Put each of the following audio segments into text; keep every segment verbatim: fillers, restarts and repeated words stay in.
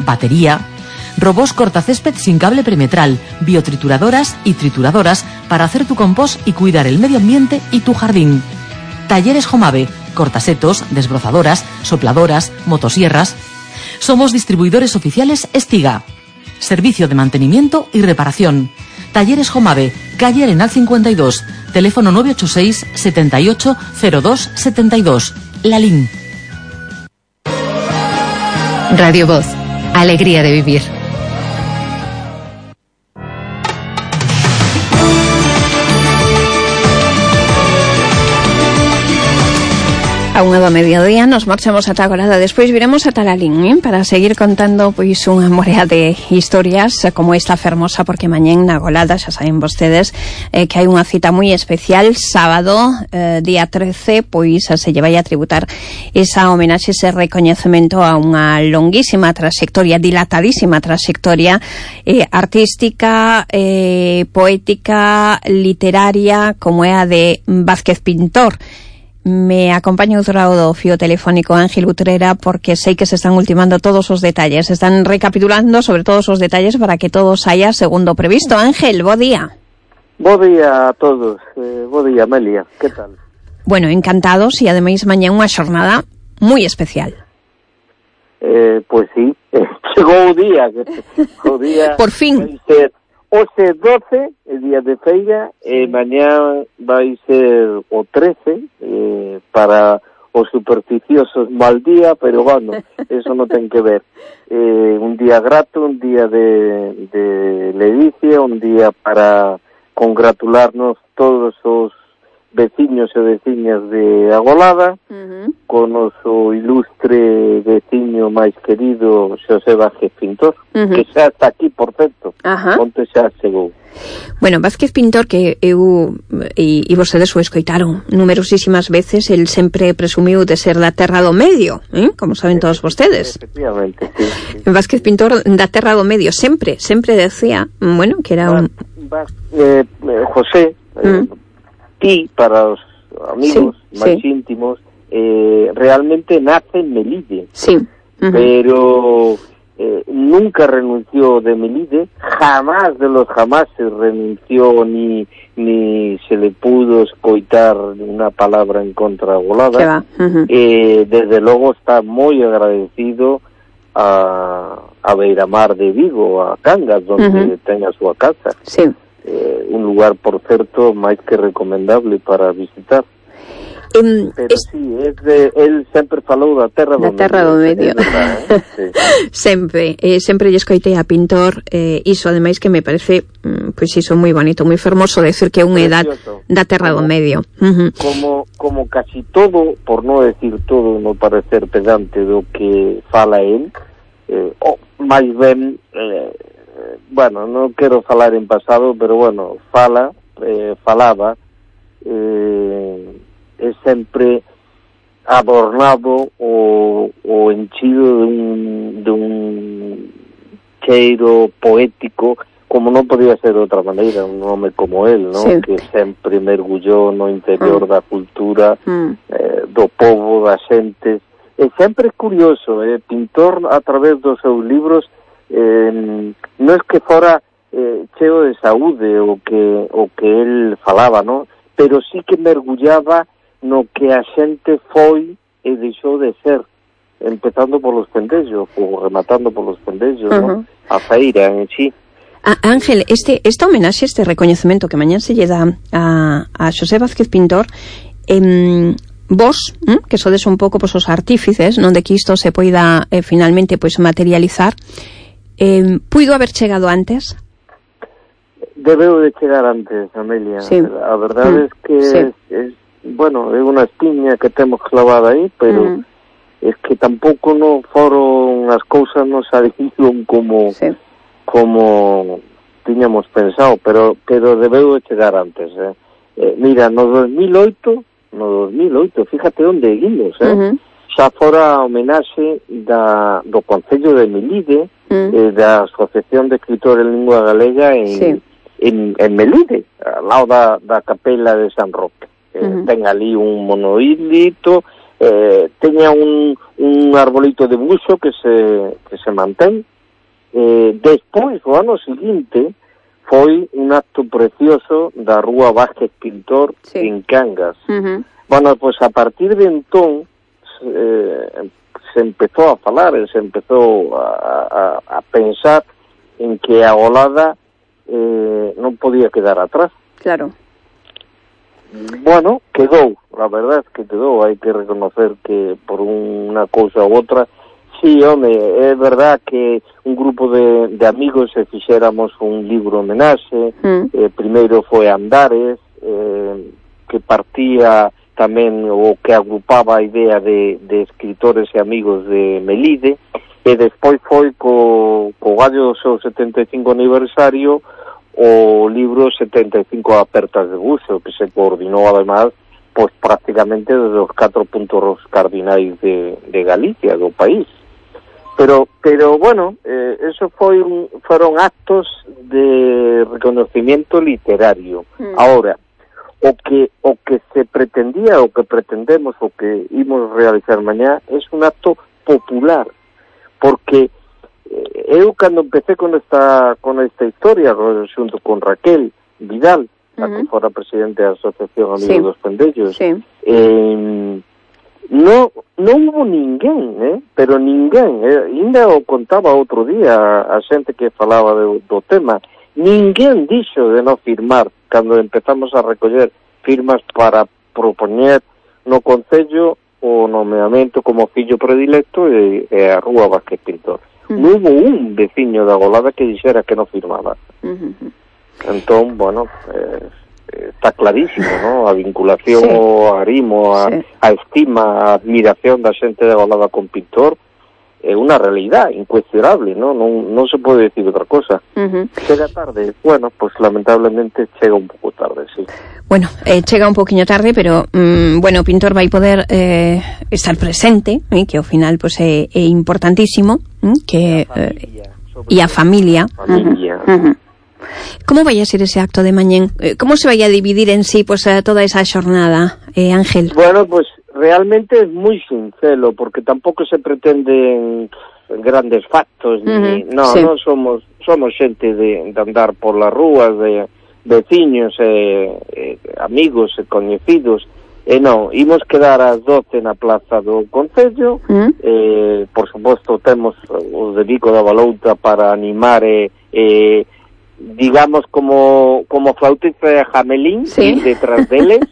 batería, robots cortacésped sin cable perimetral, biotrituradoras y trituradoras para hacer tu compost y cuidar el medio ambiente y tu jardín. Talleres Jomave, cortasetos, desbrozadoras, sopladoras, motosierras. Somos distribuidores oficiales Estiga. Servicio de mantenimiento y reparación. Talleres Jomave, calle Arenal cincuenta y dos, teléfono nueve ocho seis, setenta y ocho, cero dos, setenta y dos. Lalín. Radio Voz, alegría de vivir. A unha do mediodía nos marchamos ata agora, despois viremos ata Lalín, eh? Para seguir contando pois unha morea de historias como esta fermosa, porque mañén na Golada, xa saben vostedes, eh, que hai unha cita moi especial, sábado, eh, día trece, pois se lle vai a tributar esa homenaxe, ese recoñecemento a unha longuísima trayectoria, dilatadísima trayectoria eh, artística, eh, poética, literaria, como é a de Vázquez Pintor. Me acompaña outro lado do fío telefónico Ángel Utrera, porque sei que se están ultimando todos os detalles, se están recapitulando sobre todos os detalles para que todo saia segundo previsto. Ángel, bo día. Bo día a todos, eh, bo día Amelia, que tal? Bueno, encantados, e ademais mañá unha xornada moi especial. Eh, pois sí, eh, chegou o día, o día por fin. Hoxe doce, el día de feira, e mañá vai ser o trece, eh, para os supersticiosos mal día, pero bueno, eso non ten que ver. Eh, un día grato, un día de, de ledicia, un día para congratularnos todos os veciños e veciñas de Agolada, uh-huh. con o seu ilustre veciño máis querido Xosé Vázquez Pintor, uh-huh. que xa está aquí, por certo, uh-huh. onte xa chegou. Bueno, Vázquez Pintor, que eu e, e vostedes o escoitaron numerosísimas veces, el sempre presumiu de ser da terra do medio, eh? Como saben todos vostedes. Efectivamente, sí, sí. Vázquez Pintor da terra do medio, sempre, sempre decía, bueno, que era un... Eh, eh, José, eh, mm. ti, para os amigos sí, máis sí. íntimos, eh, realmente nace en Melide, sí. uh-huh. pero eh, nunca renunció de Melide, jamás de los jamás se renunció ni ni se le pudo escoitar una palabra en contra de Agolada. Uh-huh. eh, desde logo está moi agradecido a, a Beiramar de Vigo, a Cangas, donde uh-huh. ten a súa casa. Sí. Eh, un lugar, por certo, máis que recomendable para visitar. Um, Pero es... sí, es de, el sempre falou da terra do medio. Da terra do medio. Verdad, eh? Sí. sempre, eh, sempre lle escoitei a Pintor, eh, iso ademais que me parece, mm, pois pues iso moi bonito, moi fermoso decir que é unha edad da terra como, do medio. Uh-huh. Como como casi todo, por non decir todo, no parecer pedante do que fala él, eh, oh, máis ben eh, bueno, non quero falar en pasado, pero bueno, fala, eh, falaba, eh, é sempre adornado o, o enchido dun, dun cheiro poético, como non podía ser de outra maneira, un home como él, ¿no? Sí. Que sempre mergullou no interior mm. da cultura, mm. eh, do povo, das xentes, e sempre é curioso, eh, Pintor, a través dos seus libros, Eh, non é que fora eh, cheo de saúde o que o que el falaba, ¿no? Pero sí que mergullaba no que a xente foi e deixou de ser, empezando polos pendellos ou rematando polos pendellos, uh-huh. ¿no? A feira en sí. Ah, Ángel, este esta homenaxe, este recoñecemento que mañán se lle dá a, a Xosé Vázquez Pintor, eh, vos, ¿eh? que sodes un pouco pois, os artífices, non de que isto se poida eh, finalmente pois materializar. Eh, puido haber chegado antes? Debeu de chegar antes, Amelia. Sí. A verdade mm. es que sí. es, es, bueno, é unha espiña que temos clavada aí, pero mm. es que tampouco no foron as cousas non salieron como sí. como tiñamos pensado, pero pero debeu de chegar antes, eh. eh mira, no dos mil oito, no dos mil oito, fíjate onde guimos, eh. Uh-huh. Xa fora a homenaxe da, do Concello de Melide, mm. eh, da Asociación de Escritores en Lingua Galega en, sí. en, en Melide, ao lado da, da capela de San Roque. Eh, uh-huh. Ten ali un monolito eh, teña un, un arbolito de buxo que se, que se mantén. Eh, despois, o ano seguinte, foi un acto precioso da Rúa Vázquez Pintor, sí, en Cangas. Uh-huh. Bueno, pois pues a partir de entón eh, se empezou a falar, se empezou a, a, a pensar en que a golada eh, non podía quedar atrás. Claro. Bueno, quedou, la verdad es que quedou, hai que reconocer que por unha cousa ou outra, sí, home, é verdad que un grupo de, de amigos se fixéramos un libro homenaxe, mm. eh, primeiro foi Andares, eh, que partía tamén o que agrupaba a idea de, de escritores e amigos de Melide, e despois foi co, co gallo do seu setenta e cinco aniversario o libro setenta e cinco apertas de buxo, que se coordinou además pois prácticamente desde os catro puntos cardinais de, de Galicia, do país. Pero, pero bueno, eh, eso foi un, foron actos de reconocimiento literario. Mm. Ahora, o que o que se pretendía, o que pretendemos, o que imos realizar mañá, es un acto popular, porque eh, eu cando empecé con esta con esta historia, xunto con Raquel Vidal, uh-huh, a que fora presidente da Asociación Amigos sí. dos Pendellos, sí. eh, no non hubo ninguén, eh, pero ninguén, eh, ainda o contaba outro día a, a xente que falaba do, do tema, ninguén dixo de non firmar cando empezamos a recoller firmas para propoñer no Concello o nomeamento como fillo predilecto e, e a Rúa Vázquez Pintor. Uh-huh. Non hubo un veciño da Golada que dixera que non firmaba. Uh-huh. Entón, bueno, eh, está clarísimo, ¿no? A vinculación, sí, o arrimo, a, sí, a estima, a admiración da xente de Golada con Pintor é unha realidad incuestionable, ¿no? Non, non se pode decir outra cosa. Uh-huh. Chega tarde, bueno, pues lamentablemente chega un pouco tarde, sí. Bueno, eh, chega un poquinho tarde, pero mmm, bueno, Pintor vai poder eh, estar presente, eh, que ao final pues é, é importantísimo, eh, que e a familia, eh, familia. Uh-huh. Uh-huh. Como vai a ser ese acto de mañén? Como se vai a dividir en sí pues toda esa xornada, eh, Ángel? Bueno, pues realmente es muy sincero, porque tampouco se pretenden grandes factos, uh-huh, ni, no, sí, non somos somos xente de, de andar por las rúas, de veciños, eh, eh, amigos e coñecidos, e non, imos quedar ás doce na plaza do Concello, uh-huh, eh, por suposto temos os de Vico da Balouta para animar e eh, digamos como como flautista de Jamelín, sí, detrás deles,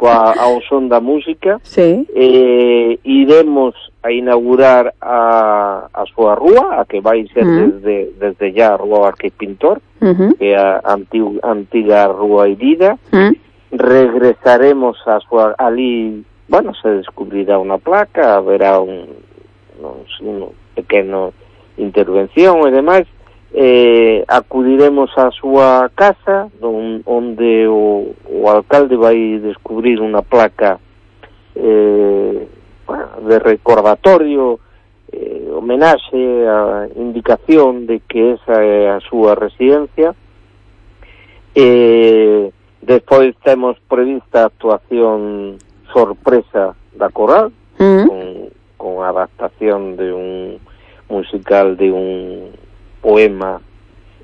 coa ao son da música, sí, eh, iremos a inaugurar a, a súa rúa, a que vai ser uh-huh, desde, desde ya a Rúa Vázquez Pintor, uh-huh, que é a antiga, antiga Rúa Irida, uh-huh, regresaremos a súa, ali, bueno, se descubrirá unha placa, haberá un, un, un pequeno intervención e demais, eh, acudiremos á súa casa don, onde o, o alcalde vai descubrir unha placa eh, bueno, de recordatorio, eh, homenaxe, a indicación de que esa é a súa residencia. Eh, despois temos prevista a actuación sorpresa da coral, mm, con, con adaptación de un musical de un poema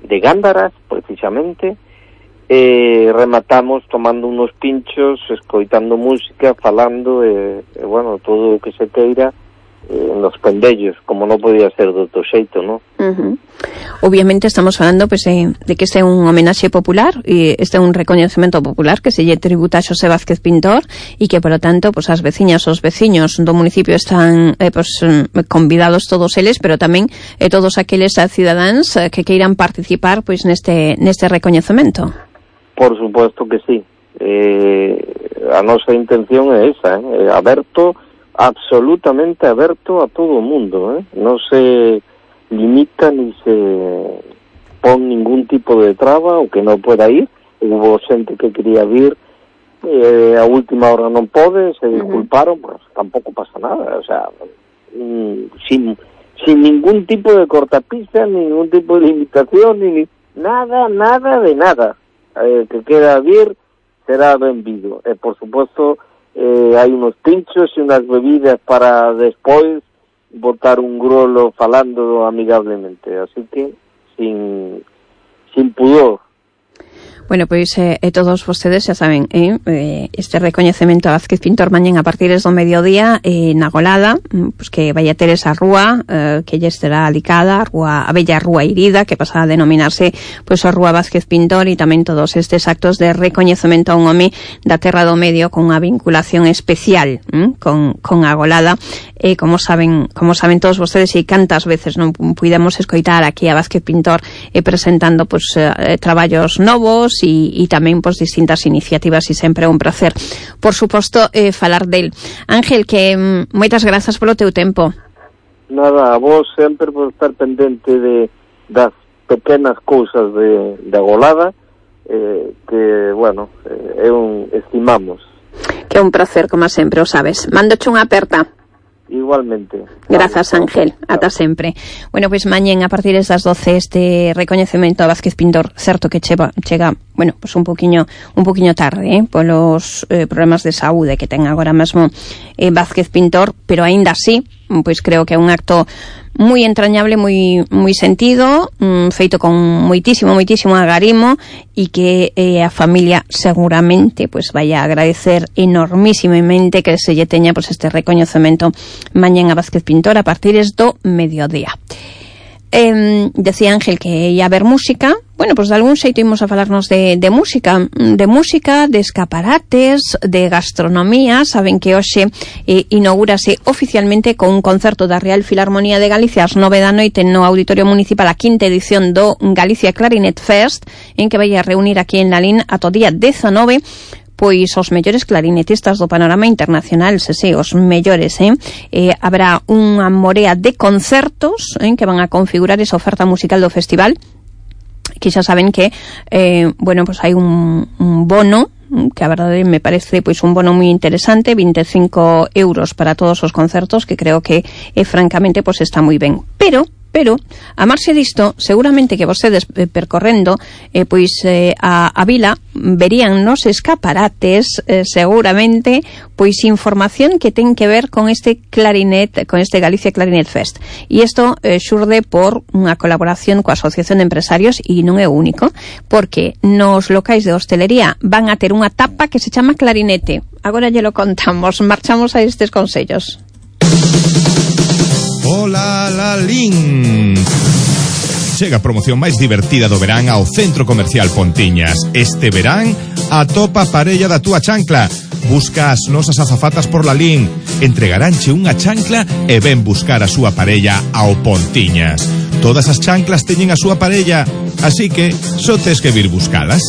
de Gándaras, precisamente. Eh, rematamos tomando unos pinchos, escoitando música, falando, e, eh, bueno, todo o que se queira eh, en los pendellos, como non podía ser de outro xeito, ¿no? Uh-huh. Obviamente estamos falando pues, eh, de que este é un homenaxe popular, e este é un recoñecemento popular que se lle tributa a Xosé Vázquez Pintor, e que, por lo tanto, pues, as veciñas, os veciños do municipio están eh, pues, convidados todos eles, pero tamén eh, todos aqueles cidadáns eh, que queiran participar pues, neste, neste recoñecemento. Por supuesto que sí. Eh, a nosa intención é esa, eh, aberto, absolutamente aberto a todo o mundo, eh? Non se limita ni se pon ningún tipo de traba o que non pueda ir. Hubo xente que quería vir, eh, a última hora non pode, se disculparon, uh-huh, pues tampouco pasa nada, o sea, mm, sin, sin ningún tipo de cortapista, ningún tipo de limitación, ni nada, nada de nada. Eh, que queda vir será benvido, e por suposto eh, hai unos pinchos e unas bebidas para despois botar un grolo falando amigablemente, así que sin sin pudor. Bueno, pois eh, e todos vostedes xa saben, eh, eh, este recoñecemento a Vázquez Pintor mañén a partir do mediodía eh, na Golada, pues que vai a ter esa rúa eh, que lle estará alicada, a rúa, a bella rúa Irida, que pasa a denominarse pois a rúa Vázquez Pintor, e tamén todos estes actos de recoñecemento a un home da Terra do Medio con unha vinculación especial hm, con, con a Golada. E eh, como saben, como saben todos vostedes, e cantas veces non puidemos escoitar aquí a Vázquez Pintor eh, presentando pois eh, traballos novos e, e tamén pois distintas iniciativas, e sempre é un placer, por suposto, eh, falar del. Ángel, que mm, moitas grazas polo teu tempo. Nada, a vos sempre por estar pendente de das pequenas cousas de, de Golada, eh, que, bueno, eh, é un estimamos. Que é un placer, como sempre, o sabes. Mandoche unha aperta. Igualmente. Grazas, Ángel, ata sempre. Bueno, pois pues, mañén a partir das doce este recoñecemento a Vázquez Pintor, certo que chega, chega bueno, pois pues un poquiño un poquiño tarde, eh, polos eh, problemas de saúde que ten agora mesmo eh, Vázquez Pintor, pero aínda así, pois pues creo que é un acto moi entrañable, moi moi sentido, mm, feito con moitísimo, moitísimo agarimo, e que eh, a familia seguramente pues vai a agradecer enormísimamente que se lle teña pues, este recoñecemento mañén a Vázquez Pintor a partir do mediodía. Eh, decía Ángel que ia haber música. Bueno, pues de algún xeito imos a falarnos de, de música, de música, de escaparates, de gastronomía. Saben que hoxe eh, inaugúrase oficialmente con un concerto da Real Filarmonía de Galicia ás nove da noite no Auditorio Municipal, a quinta edición do Galicia Clarinet Fest, en que vai a reunir aquí en Lalín ata o día dezanove pois os mellores clarinetistas do panorama internacional, se se, os mellores, eh? eh habrá unha morea de concertos eh, que van a configurar esa oferta musical do festival, que xa saben que eh, bueno, pues hai un, un bono que a verdade me parece pois un bono moi interesante, vinte e cinco euros para todos os concertos, que creo que eh, francamente pois está moi ben. Pero Pero, a marxe disto, seguramente que vostedes eh, percorrendo eh, pois eh, a, a vila verían nos escaparates eh, seguramente pois información que ten que ver con este clarinet, con este Galicia Clarinet Fest. E isto eh, xurde por unha colaboración coa Asociación de Empresarios, e non é o único, porque nos locais de hostelería van a ter unha tapa que se chama clarinete. Agora lle lo contamos, marchamos a estes consellos. Hola, Lalín. Chega a promoción máis divertida do verán ao Centro Comercial Pontiñas. Este verán, atopa a parella da túa chancla. Busca as nosas azafatas por Lalín. Entregaránche unha chancla e ven buscar a súa parella ao Pontiñas. Todas as chanclas teñen a súa parella, así que só tes que vir buscalas.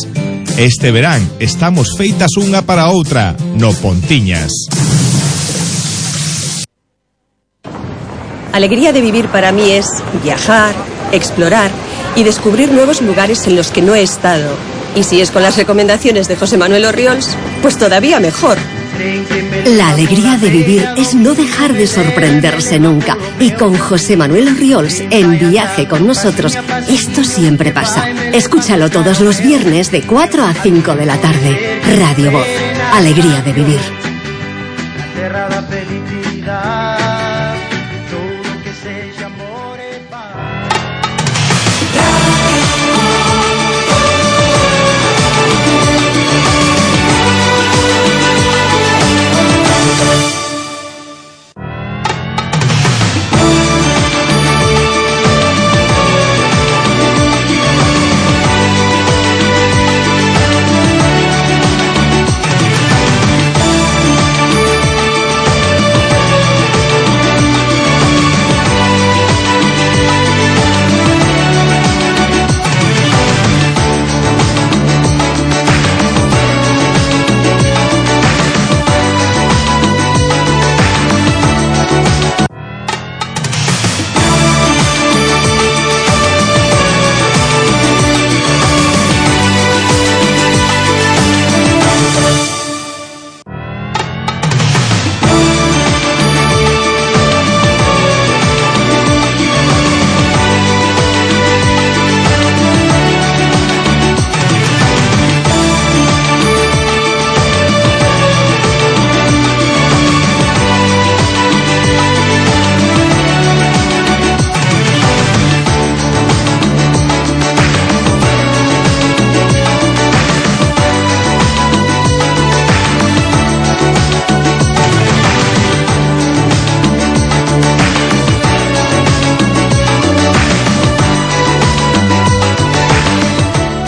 Este verán estamos feitas unha para outra no Pontiñas. Alegría de vivir para mí es viajar, explorar y descubrir nuevos lugares en los que no he estado. Y si es con las recomendaciones de José Manuel Orriols, pues todavía mejor. La alegría de vivir es no dejar de sorprenderse nunca. Y con José Manuel Orriols, en Viaje con Nosotros, esto siempre pasa. Escúchalo todos los viernes de cuatro a cinco de la tarde. Radio Voz. Alegría de vivir.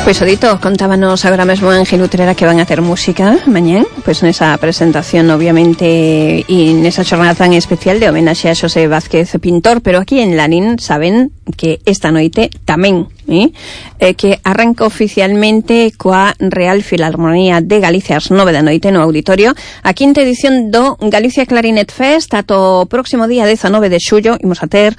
Pois o dito, contábanos agora mesmo Ángel Utrera que van a ter música mañán, pois nesa presentación obviamente e nesa xornada tan especial de homenaxe a Xosé Vázquez Pintor, pero aquí en Lalín saben que esta noite tamén eh, eh, que arranca oficialmente coa Real Filarmonía de Galicia ás nove da noite no auditorio a quinta edición do Galicia Clarinet Fest. Ato o próximo día dezanove de xullo imos a ter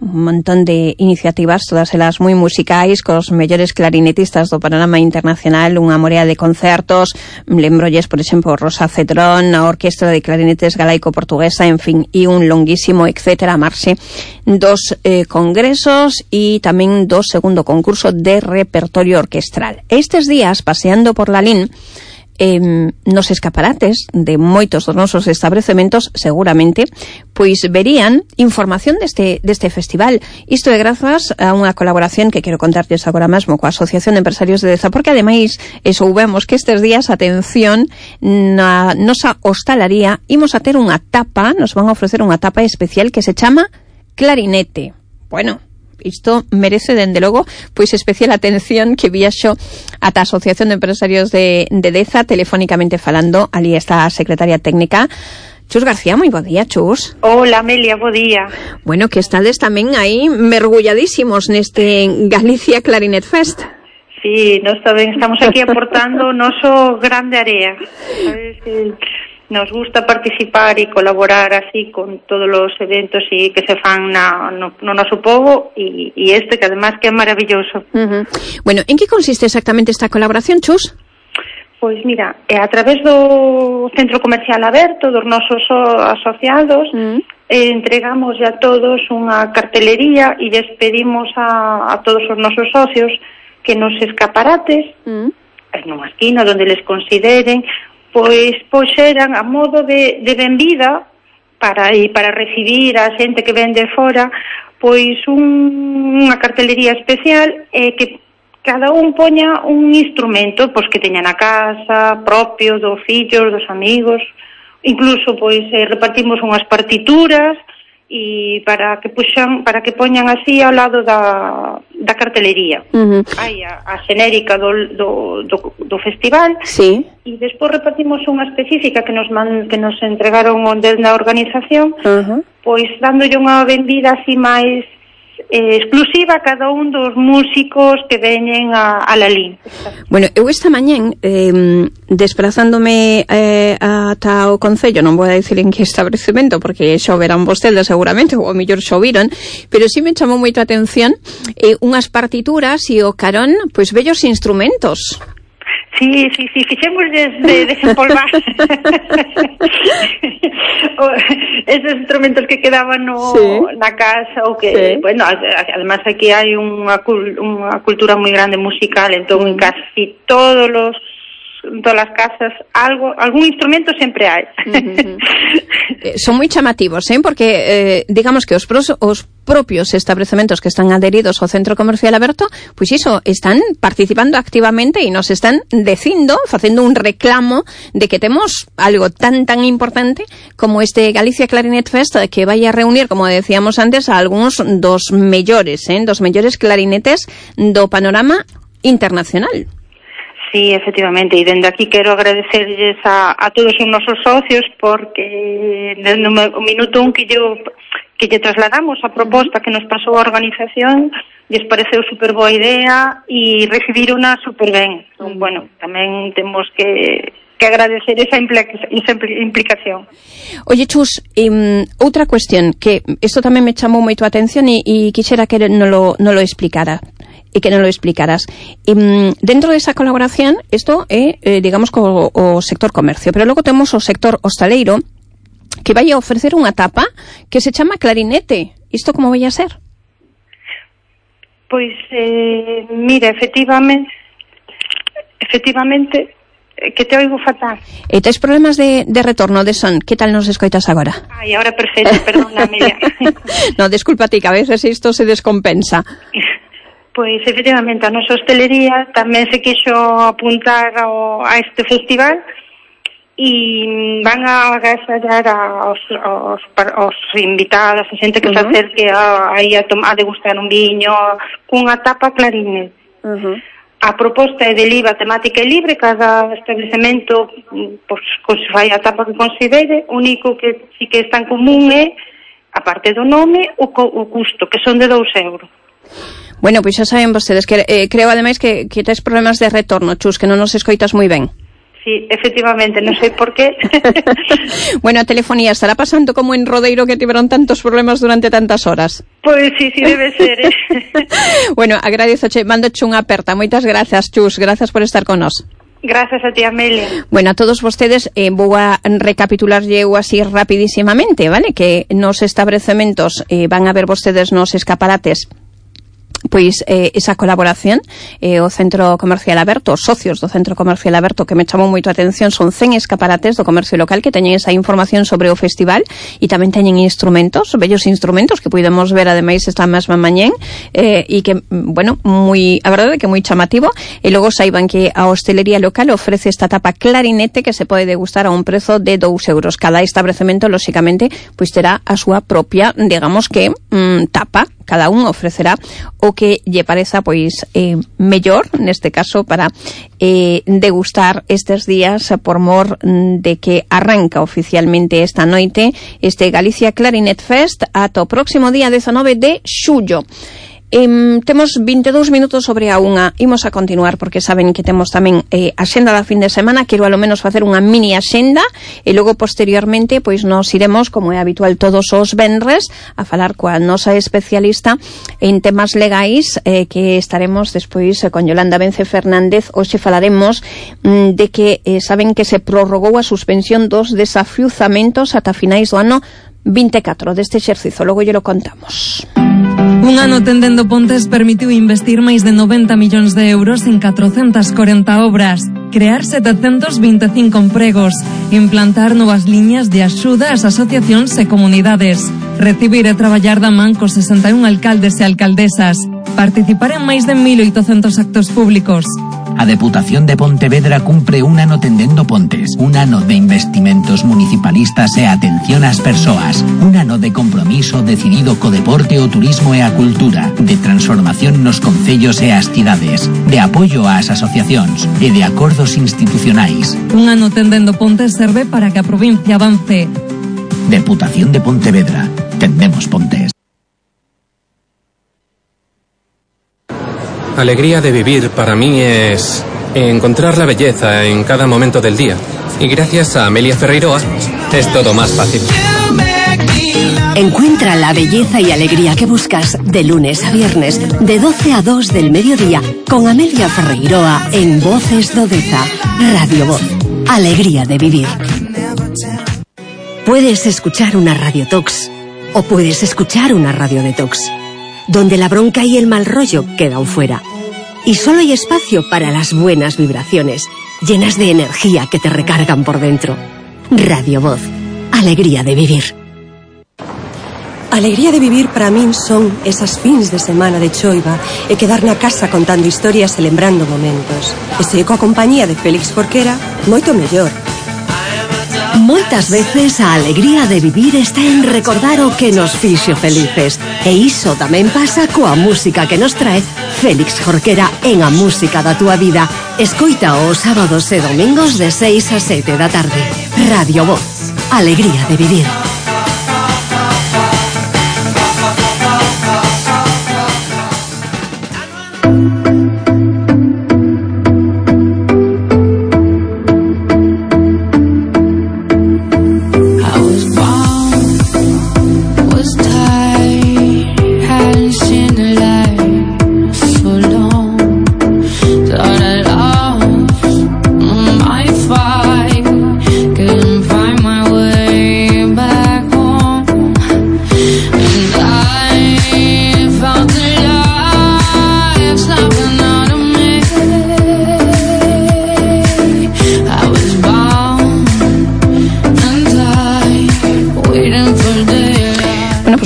un montón de iniciativas, todas elas moi musicais, cos mellores clarinetistas do panorama internacional, unha morea de concertos, lembrolles, por exemplo, Rosa Cedrón, a Orquestra de Clarinetes Galaico-Portuguesa, en fin, e un longuísimo, etcétera, marxe dos eh, congresos e tamén do segundo concurso de repertorio orquestral. Estes días, paseando por Lalín, Eh, nos escaparates de moitos dos nosos establecementos seguramente pois verían información deste, deste festival. Isto é grazas a unha colaboración que quero contarles agora mesmo coa Asociación de Empresarios de Deza, porque ademais e soubemos que estes días, atención, na nosa hostalaría imos a ter unha tapa, nos van a ofrecer unha tapa especial que se chama Clarinete. Bueno, isto merece, dende logo, pois especial atención que viaxo ata a Asociación de Empresarios de, de Deza, telefónicamente falando. Ali está a secretaria técnica, Chus García. Moi bo día, Chus. Hola, Amelia, bo día. Bueno, que estades tamén aí mergulladísimos neste Galicia Clarinet Fest. Sí, nós tamén estamos aquí aportando o noso grande area. Sabes que nos gusta participar e colaborar así con todos os eventos e que se fan na, no, no noso povo e, e este que además que é maravilloso. Uh-huh. Bueno, en que consiste exactamente esta colaboración, Chus? Pois mira, é a través do Centro Comercial Aberto, dos nosos asociados, uh-huh. eh, entregamos a todos unha cartelería e les pedimos a, a todos os nosos socios que nos escaparates, uh-huh. en unha esquina onde les consideren, pois poxeran a modo de, de benvida para e para recibir a xente que ven de fora, pois un, unha cartelería especial eh, que cada un poña un instrumento pois que teña na casa, propio dos fillos, dos amigos, incluso pois eh, repartimos unhas partituras e para que puxan, para que poñan así ao lado da, da cartelería. Uh-huh. Hai a, a xenérica do, do, do, do festival. Sí. E despois repartimos unha específica que nos man, que nos entregaron onde na organización, uh-huh. pois dándolle unha vendida así máis eh, exclusiva a cada un dos músicos que veñen a, a Lalín. Bueno, eu esta mañén eh, desplazándome eh, ata o Concello, non vou a dicir en que establecemento porque xo verán vostedes seguramente, ou a mellor xo viron, pero sí me chamou moito a atención eh, unhas partituras e o carón, pois bellos instrumentos. Sí, sí, sí, fixemos de, de desempolvar esos instrumentos que quedaban no, sí. na casa ou que, sí. bueno, además aquí hai unha, unha cultura moi grande musical, entón en casi todos los todas as casas algo, algún instrumento sempre hai. Uh-huh. eh, son moi chamativos, eh? Porque eh, digamos que os, pros, os propios establecementos que están adheridos ao Centro Comercial Aberto, pois pues iso, están participando activamente e nos están dicindo, facendo un reclamo de que temos algo tan tan importante como este Galicia Clarinet Fest, que vai a reunir, como decíamos antes, a algúns dos mellores, eh? dos mellores clarinetes do panorama internacional. Sí, efectivamente, e dende aquí quero agradecerles a, a todos os nosos socios porque no minuto un que yo que lle trasladamos a proposta que nos pasou a organización, lles pareceu super boa idea e recibir unha super ben. Entón, bueno, tamén temos que que agradecer esa, implica, esa implicación. Oye, Chus, um, outra cuestión que isto tamén me chamou moito a atención e, e quixera que non lo, non lo explicara e que non lo explicaras. Um, dentro desa colaboración, isto é, eh, digamos, co, o sector comercio, pero logo temos o sector hostaleiro que vai a ofrecer unha tapa que se chama Clarinete. Isto como vai a ser? Pois, eh, mira, efectivamente, efectivamente, que te oigo fatal. E tes problemas de, de retorno de son? Que tal nos escoitas agora? Ai, agora perfecto, perdón, Amelia. No, desculpa ti, que a veces isto se descompensa. Pois, efectivamente, a nosa hostelería tamén se quixo apuntar ao, a este festival e van a agasallar aos, aos, aos invitados, a xente que uh-huh. se acerque a, a, a, a degustar un viño cunha tapa Clarinet. Uh-huh. a proposta é del I V A temática e libre, cada establecemento pois, fai a tapa que considere, o único que sí que está en común é, a parte do nome, o, co, o custo, que son de dous euros. Bueno, pois xa saben vostedes que eh, creo ademais que, que tes problemas de retorno, Chus, que non nos escoitas moi ben. Sí, efectivamente, non sei por qué. Bueno, a telefonía estará pasando como en Rodeiro, que tiveron tantos problemas durante tantas horas. Pois sí, sí debe ser, eh. Bueno, agradezoche, mandoche unha aperta. Moitas grazas, Chus, grazas por estar con nós. Gracias a ti, Amelia. Bueno, a todos vostedes eh, vou a recapitular eu así rapidísimamente, vale? Que nos establecementos eh, van a ver vostedes nos escaparates pois eh, esa colaboración eh, o Centro Comercial Aberto, os socios do Centro Comercial Aberto, que me chamou moito a atención, son cen escaparates do comercio local que teñen esa información sobre o festival e tamén teñen instrumentos, bellos instrumentos que podemos ver ademais esta mesma mañén eh, e que, bueno, moi, a verdade que moi chamativo. E logo saiban que a hostelería local ofrece esta tapa clarinete que se pode degustar a un prezo de dous euros. Cada establecemento, lóxicamente, pois terá a súa propia, digamos que, mmm, tapa. Cada un ofrecerá o que lle pareza pois eh, mellor, neste caso, para eh, degustar estes días por mor de que arranca oficialmente esta noite este Galicia Clarinet Fest ata o próximo día dezanove de xullo. Eh, temos veintidós minutos sobre a unha. Imos a continuar porque saben que temos tamén eh, a xenda da fin de semana. Quero alo menos facer unha mini axenda e logo posteriormente pois nos iremos, como é habitual todos os venres, a falar coa nosa especialista en temas legais eh, que estaremos despois eh, con Yolanda Vence Fernández. Hoxe falaremos mm, de que eh, saben que se prorrogou a suspensión dos desafiuzamentos ata finais do ano vinte e catro deste exercizo. Logo lle lo contamos. Un ano tendendo pontes permitiu investir máis de noventa millóns de euros en catrocentas corenta obras, crear setecentos vinte e cinco empregos, implantar novas liñas de axuda ás asociacións e comunidades, recibir e traballar da man cos sesenta e un alcaldes e alcaldesas, participar en máis de mil oitocentos actos públicos. A Deputación de Pontevedra cumpre un ano tendendo pontes, un ano de investimentos municipalistas e atención ás persoas, un ano de compromiso decidido co deporte, o turismo e a cultura, de transformación nos concellos e as cidades, de apoio ás asociacións e de acordos institucionais. Un ano tendendo pontes serve para que a provincia avance. Deputación de Pontevedra. Tendemos pontes. Alegría de vivir para mí es encontrar la belleza en cada momento del día. Y gracias a Amelia Ferreiroa es todo más fácil. Encuentra la belleza y alegría que buscas de lunes a viernes, de doce a dos del mediodía, con Amelia Ferreiroa en Voces do Deza, Radio Voz. Alegría de vivir. Puedes escuchar una Radio Tox o puedes escuchar una Radio Detox, donde la bronca y el mal rollo quedan fuera. Y solo hay espacio para las buenas vibraciones, llenas de energía que te recargan por dentro. Radio Voz. Alegría de vivir. Alegría de vivir para min son esas fins de semana de choiva e quedar na casa contando historias e lembrando momentos. E se coa compañía de Félix Jorquera, moito mellor. Moitas veces a alegría de vivir está en recordar o que nos fixo felices. E iso tamén pasa coa música que nos trae Félix Jorquera en A Música da Túa Vida. Escoita os sábados e domingos de seis a sete da tarde. Radio Voz. Alegría de vivir.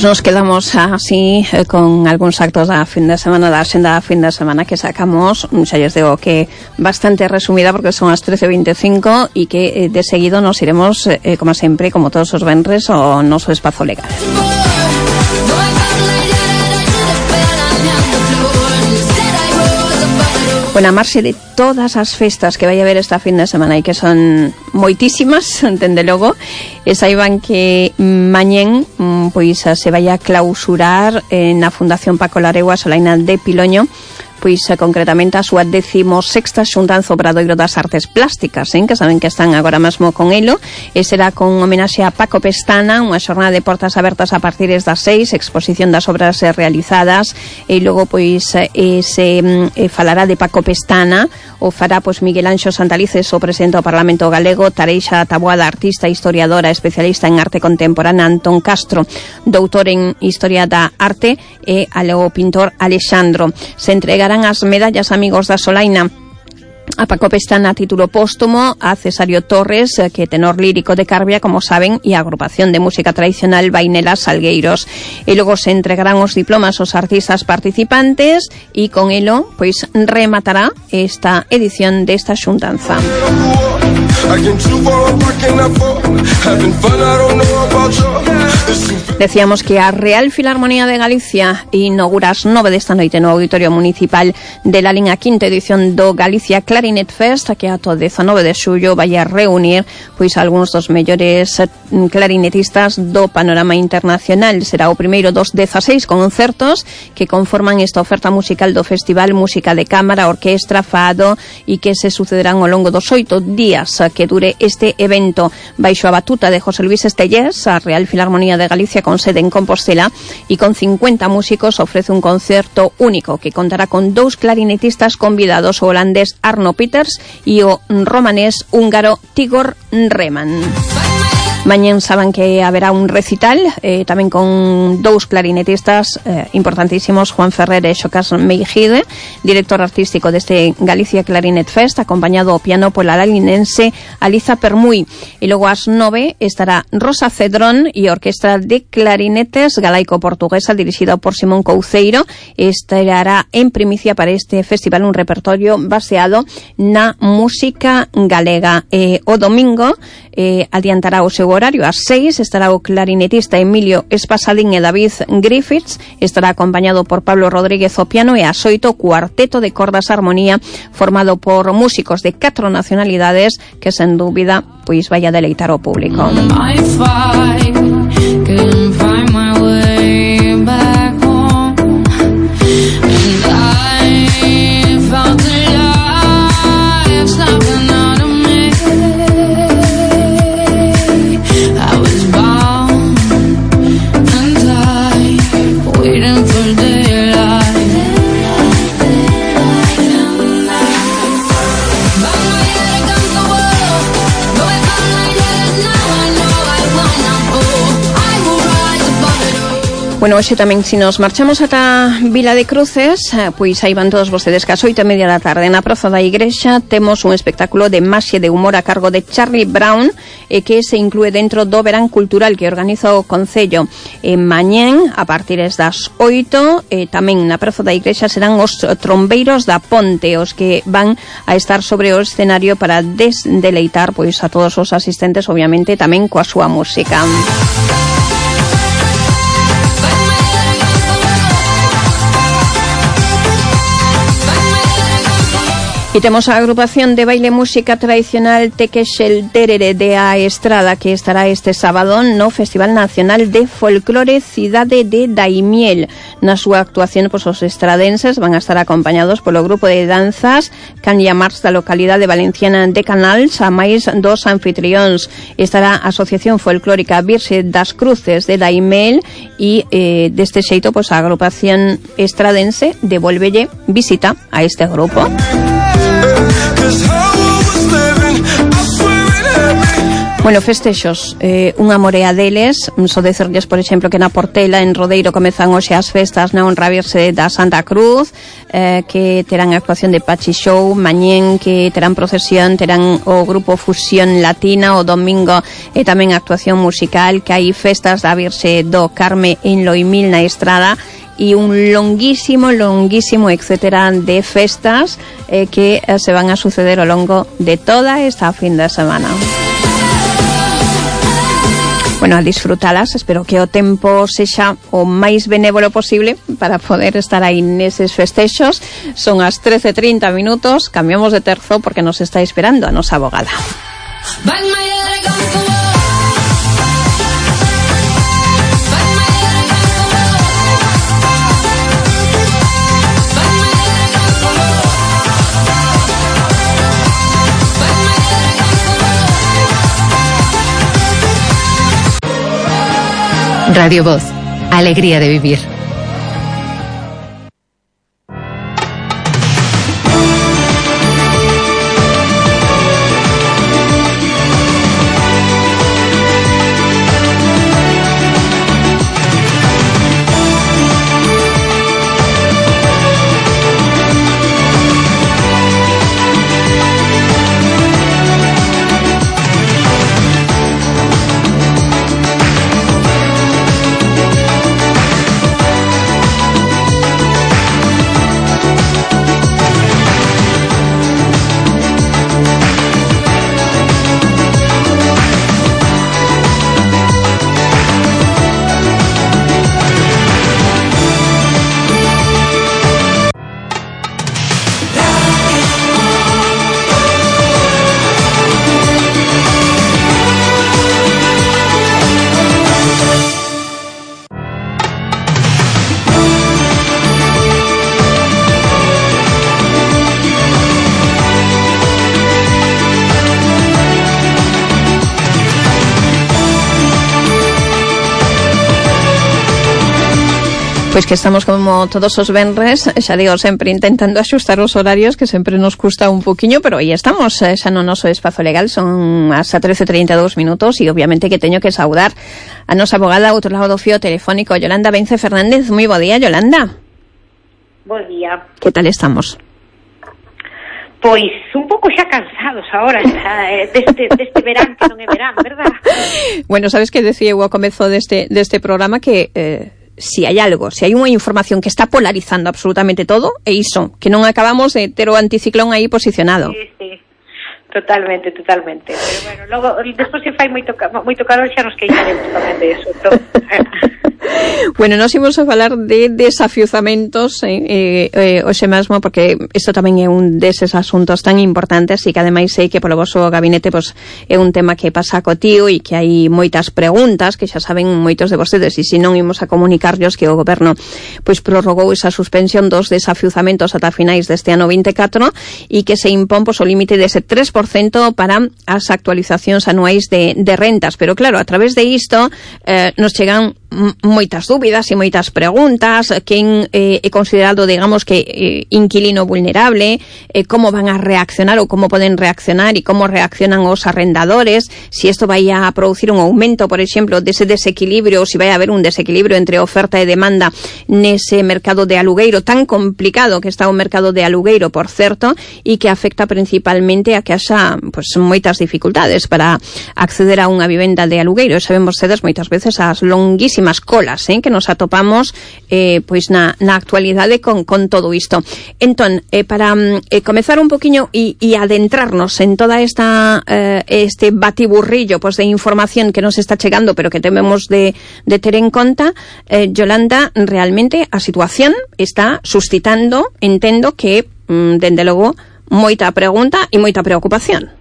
Nos quedamos así eh, con algúns actos da fin de semana, da xenda da fin de semana que sacamos, xa lles digo que bastante resumida porque son as trece e veinticinco e que eh, de seguido nos iremos, eh, como sempre, como todos os venres, ao noso espazo legal. Bueno, a marxe de todas as festas que vai haber esta fin de semana e que son moitísimas, entende logo, e saiban que mañén pois se vai a clausurar eh, na Fundación Paco Laregua Solaina de Piloño, pois concretamente a súa decimosexta xuntanza Obradoiro das Artes Plásticas, eh, que saben que están agora mesmo con elo, e será con homenaxe a Paco Pestana, unha xornada de portas abertas a partir das seis, exposición das obras realizadas, e logo pois eh, se eh, falará de Paco Pestana, o fará pois Miguel Anxo Santalices, o presidente do Parlamento Galego, Tareixa Taboada, artista, historiadora, especialista en arte contemporánea, Antón Castro, doutor en Historia da Arte, e o pintor Alexandro. Se entregarán as medallas Amigos da Solaina a Paco Pestana a título póstumo, a Cesario Torres, que é tenor lírico de Carbia, como saben, e a agrupación de música tradicional Vainela Salgueiros. E logo se entregarán os diplomas aos artistas participantes e con elo, pois, rematará esta edición desta xuntanza. Decíamos que a Real Filarmonía de Galicia inaugura as nove desta noite no Auditorio Municipal de Lalín a quinta edición do Galicia Clarinet Fest, que ato dezanove de xullo vai a reunir pois algúns dos mellores clarinetistas do panorama internacional. Será o primeiro dos dezaseis concertos que conforman esta oferta musical do Festival Música de Cámara, Orquestra, Fado, e que se sucederán ao longo dos oito días que dure este evento. Baixo a batuta de José Luis Estellés, a Real Filarmonía de Galicia, con sede en Compostela, e con cincuenta músicos ofrece un concerto único que contará con dous clarinetistas convidados, o holandés Arno Peters e o romanés húngaro Tigor Reman. Mañén saben que haberá un recital eh, tamén con dous clarinetistas eh, importantísimos, Juan Ferrer e Xocas Meijide, director artístico deste Galicia Clarinet Fest, acompañado ao piano pola lalinense Aliza Permuy. E logo ás nove estará Rosa Cedrón e a Orquestra de Clarinetes Galaico-Portuguesa, dirixida por Simón Couceiro. Estará en primicia para este festival un repertorio baseado na música galega. E o domingo eh, adiantará o seu horario. Ás seis estará o clarinetista Emilio Espasadín e David Griffiths, estará acompañado por Pablo Rodríguez ao piano, e ás oito o cuarteto de cordas armonía formado por músicos de catro nacionalidades que sen dúbida pois vai a deleitar ao público. Bueno, hoxe tamén, se nos marchamos ata Vila de Cruces, pois aí van todos vostedes que ás oito e media da tarde na Praza da Igrexa temos un espectáculo de maxia de humor a cargo de Charlie Brown, e que se inclúe dentro do verán cultural que organiza o Concello. En mañén, a partir das oito, e tamén na Praza da Igrexa serán os trombeiros da Ponte, os que van a estar sobre o escenario para desdeleitar pois a todos os asistentes, obviamente tamén coa súa música. E temos a agrupación de baile música tradicional Tequexel Terere de A Estrada, que estará este sábado no Festival Nacional de Folclore Cidade de Daimiel. Na súa actuación, pois, os estradenses van a estar acompañados polo grupo de danzas Canya Mars da localidade valenciana de Canals, a máis dos anfitrións. Estará a Asociación Folclórica Virxe das Cruces de Daimiel e eh, deste xeito, pois, a agrupación estradense devolvelle visita a este grupo. Bueno, festexos, eh, unha morea deles, só decerlles, por exemplo, que na Portela, en Rodeiro, comezan hoxe as festas na honra virxe da Santa Cruz, eh, que terán a actuación de Pachi Show, mañén que terán procesión, terán o grupo Fusión Latina, o domingo e tamén actuación musical, que hai festas da Virxe do Carme en Loimil na Estrada, e un longuísimo, longuísimo, etcétera, de festas eh, que eh, se van a suceder ao longo de toda esta fin de semana. bueno, a disfrutalas. Espero que o tempo sexa o máis benévolo posible para poder estar aí neses festexos. Son as trece e trinta minutos, cambiamos de terzo porque nos está esperando a nosa abogada. Radio Voz, alegría de vivir. Pois que estamos como todos os venres, xa digo, sempre intentando axustar os horarios, que sempre nos custa un poquinho, pero aí estamos, xa no noso espazo legal, son as trece e trinta e dous minutos, e obviamente que teño que saudar a nosa abogada ao outro lado do fío telefónico, Yolanda Vence Fernández. Moi bo día, Yolanda. Bo día. Que tal estamos? Pois un pouco xa cansados agora xa, eh, deste, deste verán que non é verán, verdad? Bueno, sabes que decía eu ao comezo deste, deste programa que eh, si hai algo, si hai unha información que está polarizando absolutamente todo, é iso, que non acabamos de ter o anticiclón aí posicionado. Sí, sí, totalmente, totalmente. Pero bueno, logo, despois se fai moito, moito calor xa nos queixaremos tamén de eso. Entón, Bueno, nos imos a falar de desafiuzamentos eh, eh, eh, hoxe mesmo, porque isto tamén é un deses asuntos tan importantes e que ademais sei que polo vosso gabinete pues, é un tema que pasa cotío e que hai moitas preguntas que xa saben moitos de vostedes, e se non imos a comunicarlos que o goberno pois prorrogou esa suspensión dos desafiuzamentos ata finais deste ano vinte e catro e que se impón pois, o límite dese tres por cento para as actualizacións anuais de, de rentas, pero claro, a través de isto eh, nos chegan moitas dúbidas e moitas preguntas. Quen eh, é considerado, digamos, que eh, inquilino vulnerable, eh, como van a reaccionar ou como poden reaccionar e como reaccionan os arrendadores, si isto vai a producir un aumento, por exemplo, dese desequilibrio, ou si vai a haber un desequilibrio entre oferta e demanda nese mercado de alugueiro tan complicado que está o mercado de alugueiro, por certo, e que afecta principalmente a que haxa pues, moitas dificultades para acceder a unha vivenda de alugueiro. Sabemos vostedes moitas veces as longuísimas colas eh, que nos atopamos eh, pois na, na actualidade con, con todo isto. Entón, eh, para eh, comezar un poquinho e, e adentrarnos en toda esta eh, este batiburrillo pois, de información que nos está chegando, pero que temos de, de ter en conta, eh, Yolanda, realmente a situación está suscitando, entendo que, mm, dende logo, moita pregunta e moita preocupación.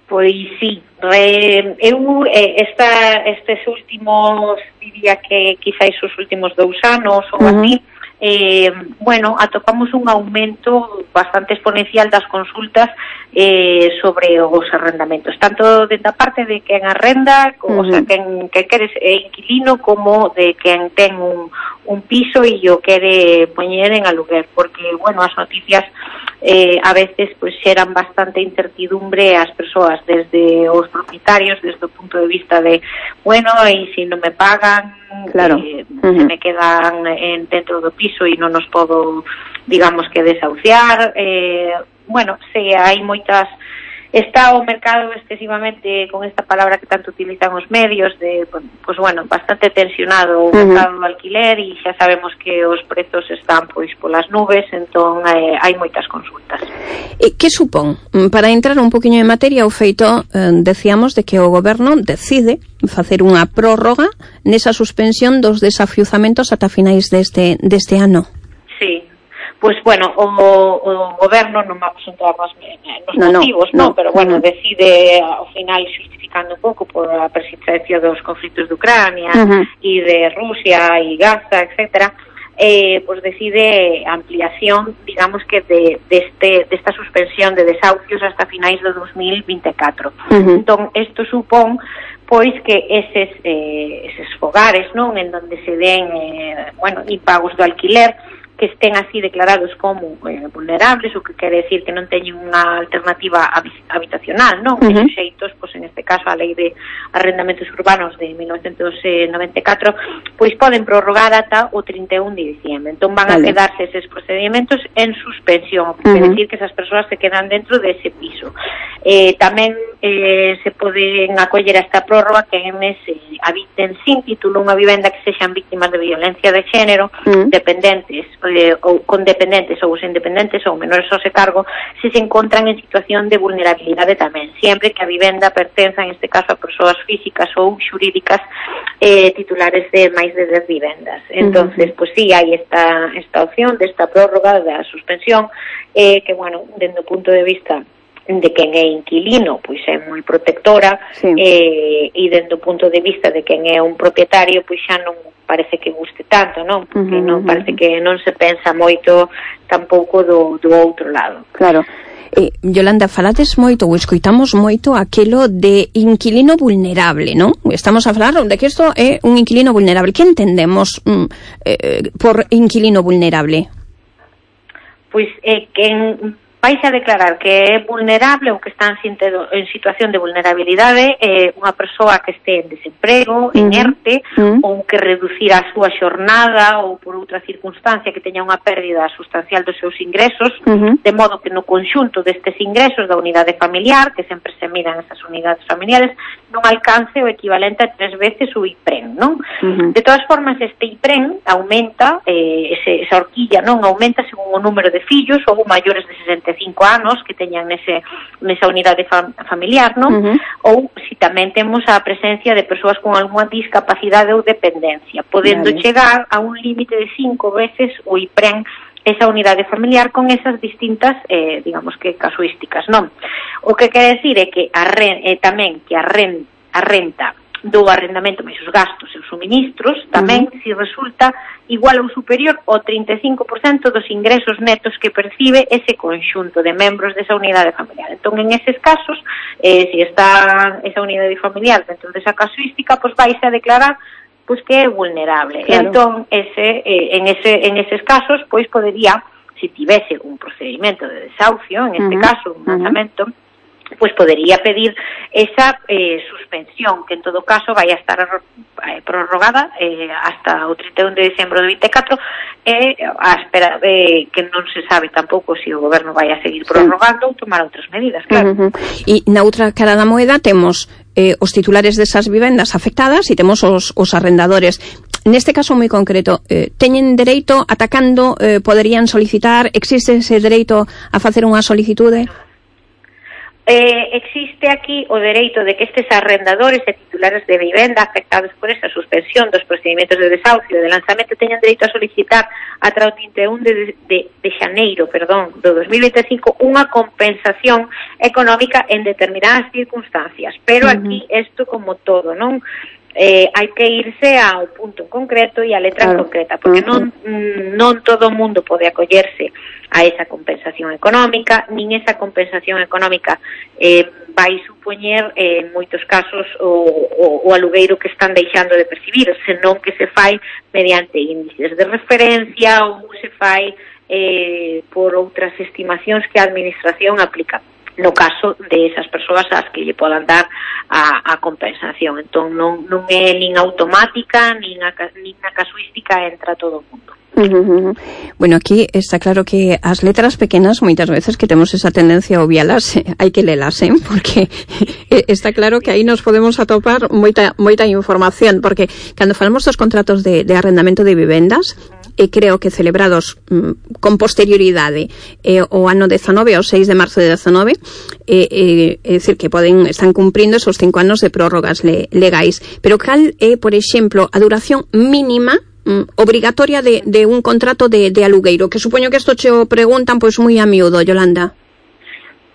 Pois sí, eh, eu eh, esta, estes últimos, diría que quizáis os últimos dous anos ou uh-huh. así, eh, bueno, atopamos un aumento bastante exponencial das consultas eh, sobre os arrendamentos, tanto de da parte de quen arrenda, uh-huh. o sea, quen, quen quere é inquilino, como de quen ten un, un piso e o quere poñer en aluguer, porque, bueno, as noticias Eh, a veces pues xeran bastante incertidumbre ás persoas, desde os propietarios, desde o punto de vista de, bueno, e se non me pagan, claro. eh, uh-huh. se me quedan en, dentro do piso e non nos podo, digamos que desahuciar, eh, bueno, se hai moitas está o mercado excesivamente, con esta palabra que tanto utilizan os medios, de, pues bueno, bastante tensionado o mercado do alquiler, e xa sabemos que os prezos están pois polas nubes, entón eh, hai moitas consultas. E que supón? Para entrar un poquinho en materia, o feito, eh, decíamos, de que o goberno decide facer unha prórroga nesa suspensión dos desafiuzamentos ata finais deste, deste ano. Sí. Pois, bueno, o, o goberno non vamos a entrar nos, nos no, motivos, no, no, pero, bueno, uh-huh. decide, ao final, justificando un pouco por a persistencia dos conflitos de Ucrania uh-huh. e de Rusia e Gaza, etcétera, eh, pues decide ampliación, digamos que de, de este, de esta suspensión de desahucios hasta finais do dos mil veinticuatro. Uh-huh. Entón, isto supón pois que eses, eh, eses fogares, non, en donde se den, eh, bueno, impagos do alquiler, que estén así declarados como eh, vulnerables, o que quere decir que non teñen unha alternativa habitacional, non? Uh-huh. E suxeitos, pois en este caso a Lei de Arrendamentos Urbanos de mil novecientos noventa e catro, pois poden prorrogar ata o trinta e un de diciembre. Entón van vale. a quedarse eses procedimentos en suspensión, o que uh-huh. quere decir que esas persoas se quedan dentro dese piso. Eh, tamén eh, se poden acoller a esta prórroga que enes eh, habiten sin título unha vivenda que sexan víctimas de violencia de xénero, uh-huh. dependentes Eh, ou con dependentes ou sen dependentes ou menores ao se cargo, se se encontran en situación de vulnerabilidade tamén, sempre que a vivenda pertenza, en este caso, a persoas físicas ou xurídicas eh, titulares de máis de dez vivendas. Entonces, uh-huh. pues sí, hai esta, esta opción desta prórroga da suspensión, eh, que, bueno, dende o punto de vista de quen é inquilino, pois é moi protectora, sí. eh, e dende o punto de vista de quen é un propietario, pois xa non parece que guste tanto, non? Porque uh-huh, non parece que non se pensa moito tampouco do, do outro lado. Claro. Eh, Yolanda, falades moito ou escoitamos moito aquelo de inquilino vulnerable, non? Estamos a falar de que isto é un inquilino vulnerable. Que entendemos mm, eh, por inquilino vulnerable? Pois é eh, que en vais a declarar que é vulnerable ou que está en situación de vulnerabilidade eh, unha persoa que este en desemprego, uh-huh. en ERTE, uh-huh. ou que reducirá a súa xornada ou por outra circunstancia que teña unha pérdida sustancial dos seus ingresos, uh-huh. de modo que no conxunto destes ingresos da unidade familiar, que sempre se miran esas unidades familiares, non alcance o equivalente a tres veces o IPREN, non? Uh-huh. De todas formas, este IPREN aumenta, eh, ese, esa horquilla, non? Aumenta según o número de fillos ou maiores de sesenta e cinco anos que teñan nese, nesa unidade fam- familiar, non? Uh-huh. Ou si tamén temos a presencia de persoas con algunha discapacidade ou dependencia, podendo vale. chegar a un límite de cinco veces o IPREN esa unidade familiar con esas distintas, eh, digamos que casuísticas, non? O que quere decir é que a re, eh, tamén que a, ren, a renta do arrendamento máis os gastos e os suministros tamén uh-huh. si resulta igual ou superior ao trinta e cinco por cento dos ingresos netos que percibe ese conxunto de membros desa unidade familiar. Entón, en eses casos, eh, si está esa unidade familiar dentro desa casuística, pois vais a declarar pois que é vulnerable. Claro. Entón, ese, eh, en, ese, en eses casos, pois podería, si tivese un procedimento de desahucio, en este uh-huh. caso, un lanzamento, uh-huh. pues podería pedir esa eh, suspensión, que en todo caso vai a estar eh, prorrogada eh, hasta o trinta e un de diciembre do vinte e catro, e eh, a espera de que non se sabe tampouco se o goberno vai a seguir prorrogando sí. ou tomar outras medidas, claro. Uh-huh. E na outra cara da moeda temos eh, os titulares desas vivendas afectadas e temos os, os arrendadores. Neste caso moi concreto, eh, teñen dereito, atacando, eh, poderían solicitar, existe ese dereito a facer unha solicitude? Eh, existe aquí o dereito de que estes arrendadores e titulares de vivenda afectados por esa suspensión dos procedimentos de desahucio e de lanzamento teñan dereito a solicitar ata o trinta e un de, de, de xaneiro perdón, do dos mil vinte e cinco unha compensación económica en determinadas circunstancias, pero uh-huh. aquí isto como todo, non? Eh, hai que irse ao punto concreto e a letra claro. concreta, porque non, non todo o mundo pode acollerse a esa compensación económica, nin esa compensación económica eh, vai supoñer eh, en moitos casos o, o, o alugueiro que están deixando de percibir, senón que se fai mediante índices de referencia ou se fai eh, por outras estimacións que a administración aplica. no caso de esas persoas ás que lle podan dar a, a compensación. Entón non, non é nin automática nin a, nin a casuística entra todo o mundo. Uh-huh. Bueno, aquí está claro que as letras pequenas moitas veces que temos esa tendencia a obvialas, eh, hai que lelas, eh, porque está claro que aí nos podemos atopar moita moita información, porque cando falamos dos contratos de, de arrendamento de vivendas, e creo que celebrados mm, con posterioridade eh, o ano dezanove, o seis de marzo de dezanove, eh, eh, é dicir que poden están cumprindo esos cinco anos de prórrogas le, legais, pero cal é, por exemplo, a duración mínima mm, obrigatoria de, de un contrato de, de alugueiro, que supoño que isto che o preguntan pois moi a miúdo, Yolanda.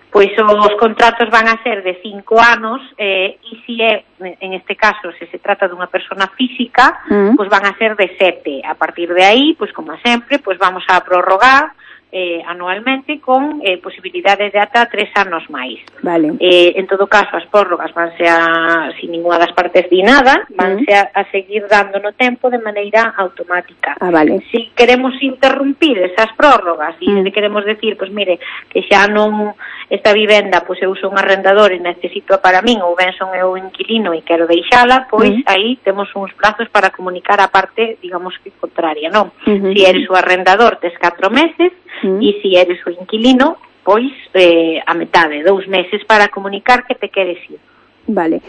Pois os contratos van a ser de cinco anos eh, e se é, en este caso, se se trata dunha persona física, mm. pois van a ser de sete. A partir de aí, pois como sempre, pois vamos a prorrogar eh, anualmente con eh, posibilidades de ata tres anos máis. Vale. Eh, en todo caso, as prórrogas vanse a, sin ninguna das partes di nada, vanse a, a seguir dando no tempo de maneira automática. Ah, vale. Si queremos interrumpir esas prórrogas e mm. queremos decir, pois mire, que xa non esta vivenda, pois eu sou un arrendador e necesito para min, ou ben son eu inquilino e quero deixala, pois mm. aí temos uns plazos para comunicar a parte, digamos que contraria, non? Mm-hmm. Si eres o arrendador, tes catro meses, mm. e si eres o inquilino, pois eh, a metade, dous meses para comunicar que te queres ir. Vale.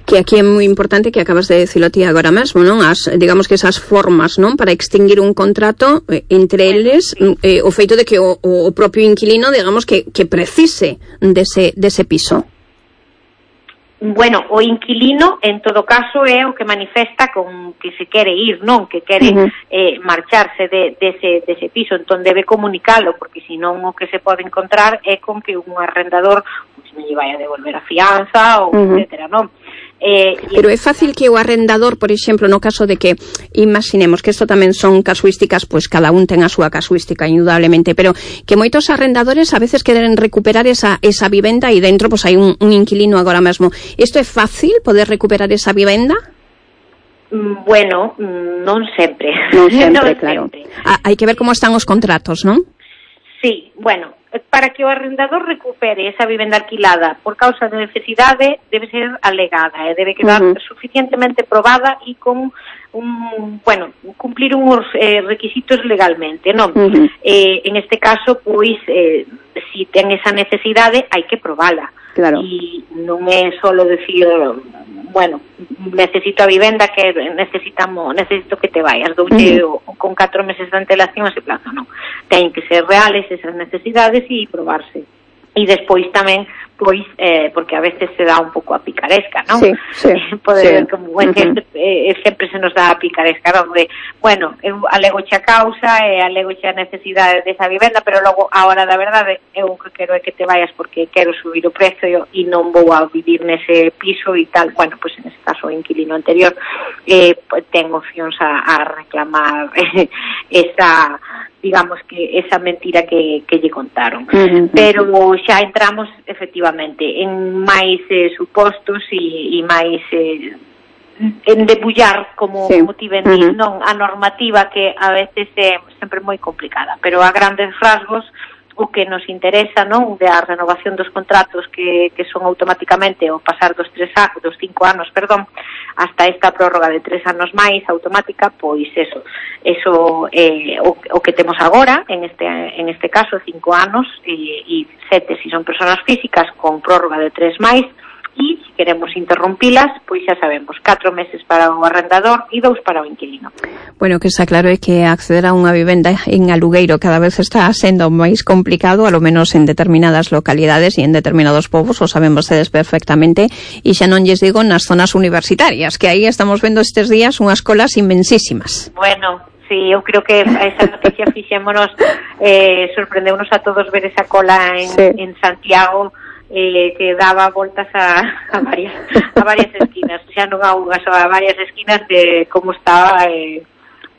Que aquí é moi importante que acabas de decirlo ti agora mesmo, non? As, digamos que esas formas, non? Para extinguir un contrato, eh, entre eles, eh, o feito de que o, o propio inquilino, digamos, que, que precise dese, dese piso. Bueno, o inquilino, en todo caso, é o que manifesta con que se quere ir, non? Que quere uh-huh. eh, marcharse de, dese, dese piso, entón debe comunicalo, porque senón o que se pode encontrar é con que un arrendador pues, non lle vai a devolver a fianza, ou uh-huh. etcétera, non? Eh, Pero é fácil que o arrendador, por exemplo, no caso de que imaginemos que isto tamén son casuísticas, pois cada un ten a súa casuística indudablemente, pero que moitos arrendadores a veces queren recuperar esa esa vivenda e dentro pois hai un, un inquilino agora mesmo. Isto é fácil poder recuperar esa vivenda? Bueno, non sempre. Non sempre, non claro. Sempre. Ah, hai que ver como están os contratos, non? Sí, bueno, para que o arrendador recupere esa vivenda alquilada por causa de necesidade debe ser alegada, eh, debe quedar uh-huh. suficientemente probada e con un, bueno, cumplir uns eh, requisitos legalmente, non? Uh-huh. Eh, en este caso, pois, eh, si ten esa necesidade, hai que probala. Claro. E non é solo decir, bueno, necesito a vivenda que necesitamos, necesito que te vayas, doulle uh-huh. con catro meses de antelación ese plazo, non. Ten que ser reales esas necesidades e probarse. E despois tamén, pois, eh, porque a veces se dá un pouco a picaresca, non? Sí, sí. Pode sí. ver como uh-huh. sempre, eh, sempre se nos dá a picaresca, non? De, bueno, eu alego xa causa e alego xa necesidade desa vivenda, pero logo, a hora da verdade, eu o que quero é que te vayas porque quero subir o precio e non vou a vivir nese piso e tal. Bueno, pois en ese caso o inquilino anterior eh, ten opcións a, a reclamar eh, esa... digamos que esa mentira que, que lle contaron. Uh-huh. Pero xa entramos efectivamente en máis eh, supostos e, e máis eh, en debullar, como, sí. como ti ben dis, uh-huh. non a normativa que a veces é sempre moi complicada, pero a grandes rasgos o que nos interesa, non, da renovación dos contratos que, que son automáticamente ao pasar dos tres a, dos cinco anos, perdón, hasta esta prórroga de tres anos máis automática, pois eso, eso eh, o, o que temos agora, en este en este caso cinco anos e, e sete se si son persoas físicas con prórroga de tres máis. E se queremos interrompilas, pois xa sabemos, catro meses para o arrendador e dous para o inquilino. Bueno, que está claro é que acceder a unha vivenda en alugueiro cada vez está sendo máis complicado, a lo menos en determinadas localidades e en determinados povos, o saben vostedes perfectamente, e xa non lles digo nas zonas universitarias, que aí estamos vendo estes días unhas colas inmensísimas. Bueno, sí, eu creo que esa noticia fixémonos, eh, sorprendeunos a todos ver esa cola en, sí. en Santiago, Eh, que daba voltas a, a varias a varias esquinas, xa non a unha, só a varias esquinas de como estaba eh,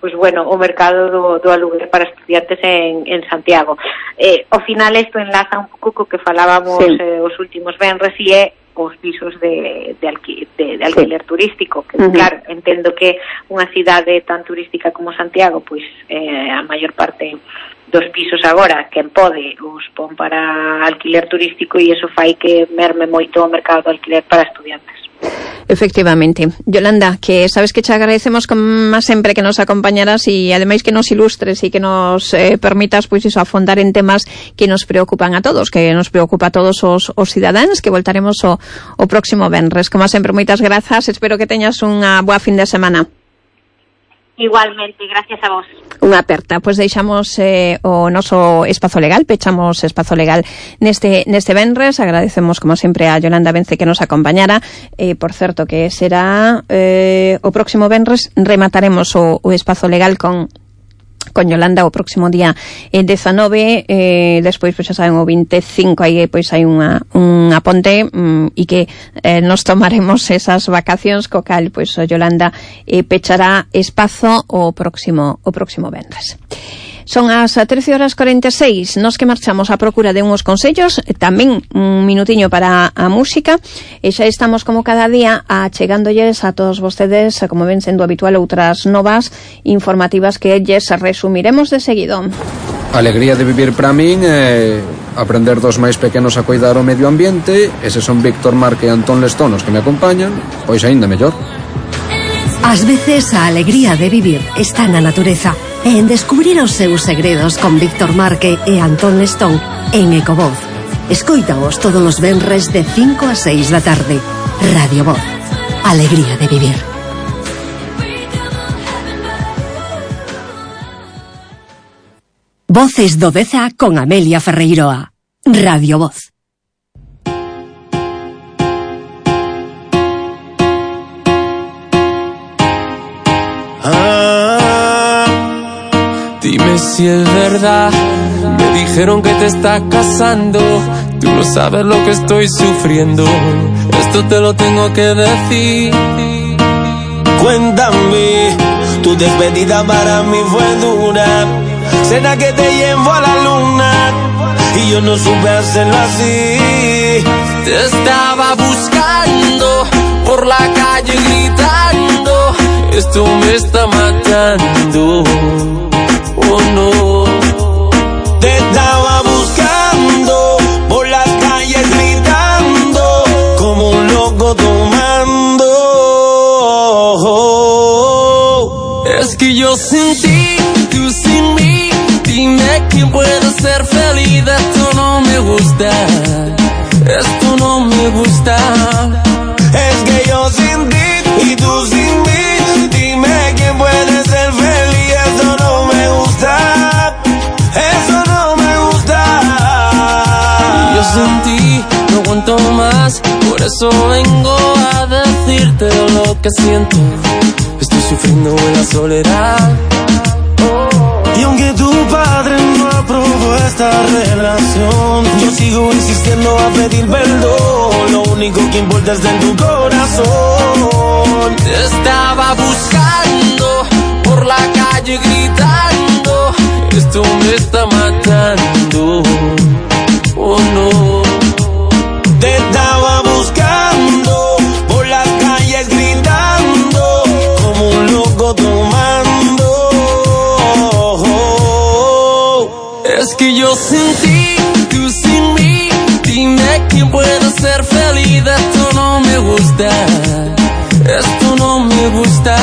pues bueno, o mercado do, do aluguer para estudiantes en, en Santiago. Eh, ao final isto enlaza un pouco co que falábamos sí. eh, os últimos venres e é os pisos de, de, alqui, de, de alquiler sí. turístico, que uh-huh. claro, entendo que unha cidade tan turística como Santiago, pois eh, a maior parte dos pisos agora, quen pode os pon para alquiler turístico e iso fai que merme moito o mercado de alquiler para estudiantes. Efectivamente. Yolanda, que sabes que te agradecemos como sempre que nos acompañaras e ademais que nos ilustres e que nos eh, permitas pois iso afondar en temas que nos preocupan a todos, que nos preocupa a todos os, os cidadáns, que voltaremos o, o próximo venres. Como sempre, moitas grazas, espero que teñas unha boa fin de semana. Igualmente, gracias a vos. Unha aperta, pois deixamos eh, o noso espazo legal, pechamos espazo legal neste neste venres. Agradecemos como sempre a Yolanda Vence que nos acompañara. Eh, por certo que será eh, o próximo venres remataremos o, o espazo legal con con Yolanda o próximo día eh, dezanove, eh, despois pois xa saben o veinticinco aí pois hai unha unha ponte mm, e que eh, nos tomaremos esas vacacións co cal pois o Yolanda eh, pechará espazo o próximo o próximo venres. Son as trece horas cuarenta e seis, nos que marchamos á procura de unhos consellos, tamén un minutiño para a música, e xa estamos como cada día achegándolles a todos vostedes, como ven sendo habitual, outras novas informativas que lles resumiremos de seguido. A alegría de vivir para min é aprender dos máis pequenos a cuidar o medio ambiente, eses son Víctor Marque e Antón Lestón os que me acompañan, pois aínda mellor. Ás veces a alegría de vivir está na natureza e en descubrir os seus segredos con Víctor Marque e Antón Lestón en Ecovoz. Escoítaos todos os venres de cinco a seis da tarde. Radio Voz. Alegría de vivir. Voces do Deza con Amelia Ferreiroa. Radio Voz. Dime si es verdad, me dijeron que te estás casando. Tú no sabes lo que estoy sufriendo, esto te lo tengo que decir. Cuéntame, tu despedida para mí fue dura. Será que te llevo a la luna y yo no supe hacerlo así. Te estaba buscando por la calle gritando, esto me está matando. Oh no. Te estaba buscando por las calles gritando como un loco tomando. Es que yo sin ti, tú sin mí, dime quién puede ser feliz. Esto no me gusta, esto no me gusta. Es que yo sin ti y tú sin mí, dime quién puede ser feliz. Esto no me gusta, eso no me gusta. Yo sin ti no aguanto más, por eso vengo a decirte lo que siento. Estoy sufriendo en la soledad. Y aunque tu padre no aprobó esta relación, yo sigo insistiendo a pedir perdón. Lo único que importa es de tu corazón. Te estaba buscando por la calle gritando, esto me está matando. Oh no. Te estaba buscando por las calles gritando como un loco tomando. Es que yo sin ti, tú sin mí, dime quién puede ser feliz. Esto no me gusta, esto no me gusta.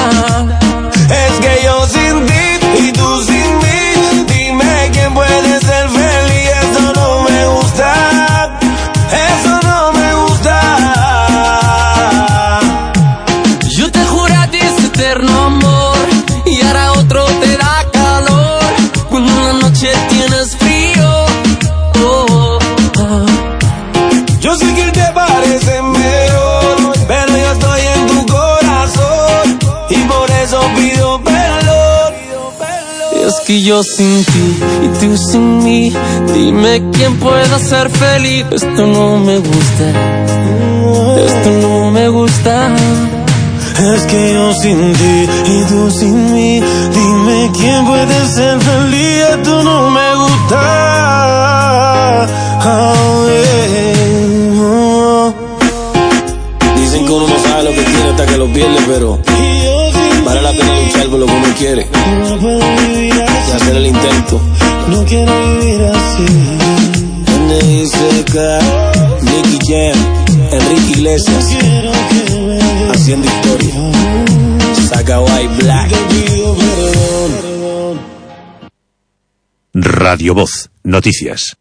Es que yo sin ti y tú sin mí, dime quién puede ser feliz. Esto no me gusta, eso no me gusta. Yo te juro a ti ese eterno amor y ahora otro te da calor cuando en la noche tienes frío. Oh, oh. Yo sé que te parece mejor, pero yo estoy en tu corazón y por eso pido perdón. Es que yo sin ti y tú sin mí, dime quién puede ser feliz. Esto no me gusta, esto no me gusta. Es que yo sin ti y tú sin mí, dime quién puede ser feliz. Esto no me gusta. Oh, yeah. Oh. Dicen que uno no sabe lo que tiene hasta que lo pierde, pero vale la pena luchar por lo que uno quiere y hacer el intento. N I C K, Nicky Jam, Enrique Iglesias, haciendo historia. Saga White Black. Radio Voz, noticias.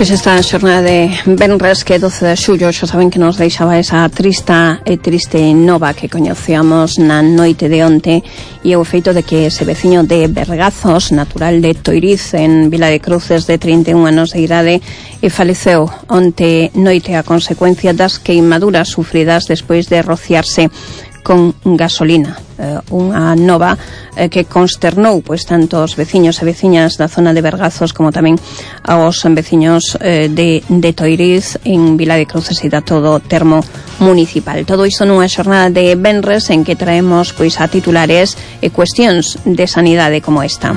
Pois esta xornada de venres que doce de xullo xa saben que nos deixaba esa trista e triste nova que coñecíamos na noite de onte e o feito de que ese veciño de Bergazos, natural de Toiriz en Vila de Cruces, de trinta e un anos de idade, e faleceu onte noite a consecuencia das queimaduras sufridas despois de rociarse con gasolina. Eh, unha nova eh, que consternou pois tanto os veciños e veciñas da zona de Bergazos como tamén aos veciños eh, de, de Toiriz en Vila de Cruces e da todo termo municipal. Todo isto nunha xornada de venres en que traemos pois a titulares e cuestións de sanidade como esta.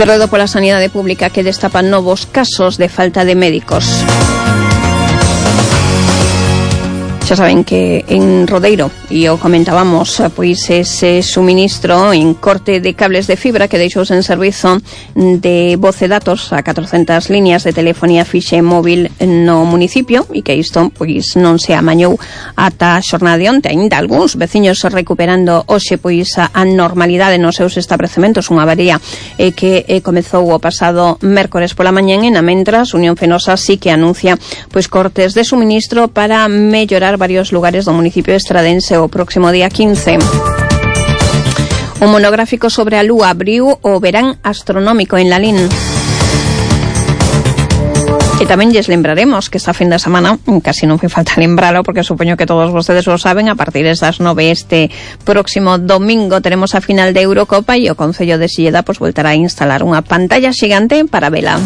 Cerredo pola sanidade pública que destapa novos casos de falta de médicos. Xa saben que en Rodeiro, e o comentábamos, pois ese suministro en corte de cables de fibra que deixou en servizo de voz e datos a catrocentas líneas de telefonía fixe móvil no municipio e que isto pois non se amañou ata a xornada de onte. Ainda algúns veciños recuperando hoxe pois a normalidade nos seus establecementos, unha avaría eh, que eh, comezou o pasado mércores pola mañán e na mentras Unión Fenosa sí que anuncia pois cortes de suministro para mellorar varios lugares do municipio estradense o próximo día quince. Un monográfico sobre a lúa abriu o verán astronómico en Lalín. E tamén lles lembraremos que esta fin de semana, casi non fai falta lembralo porque supoño que todos vostedes o saben, a partir das nove este próximo domingo teremos a final de Eurocopa e o Concello de Silleda pois voltará a instalar unha pantalla xigante para vela.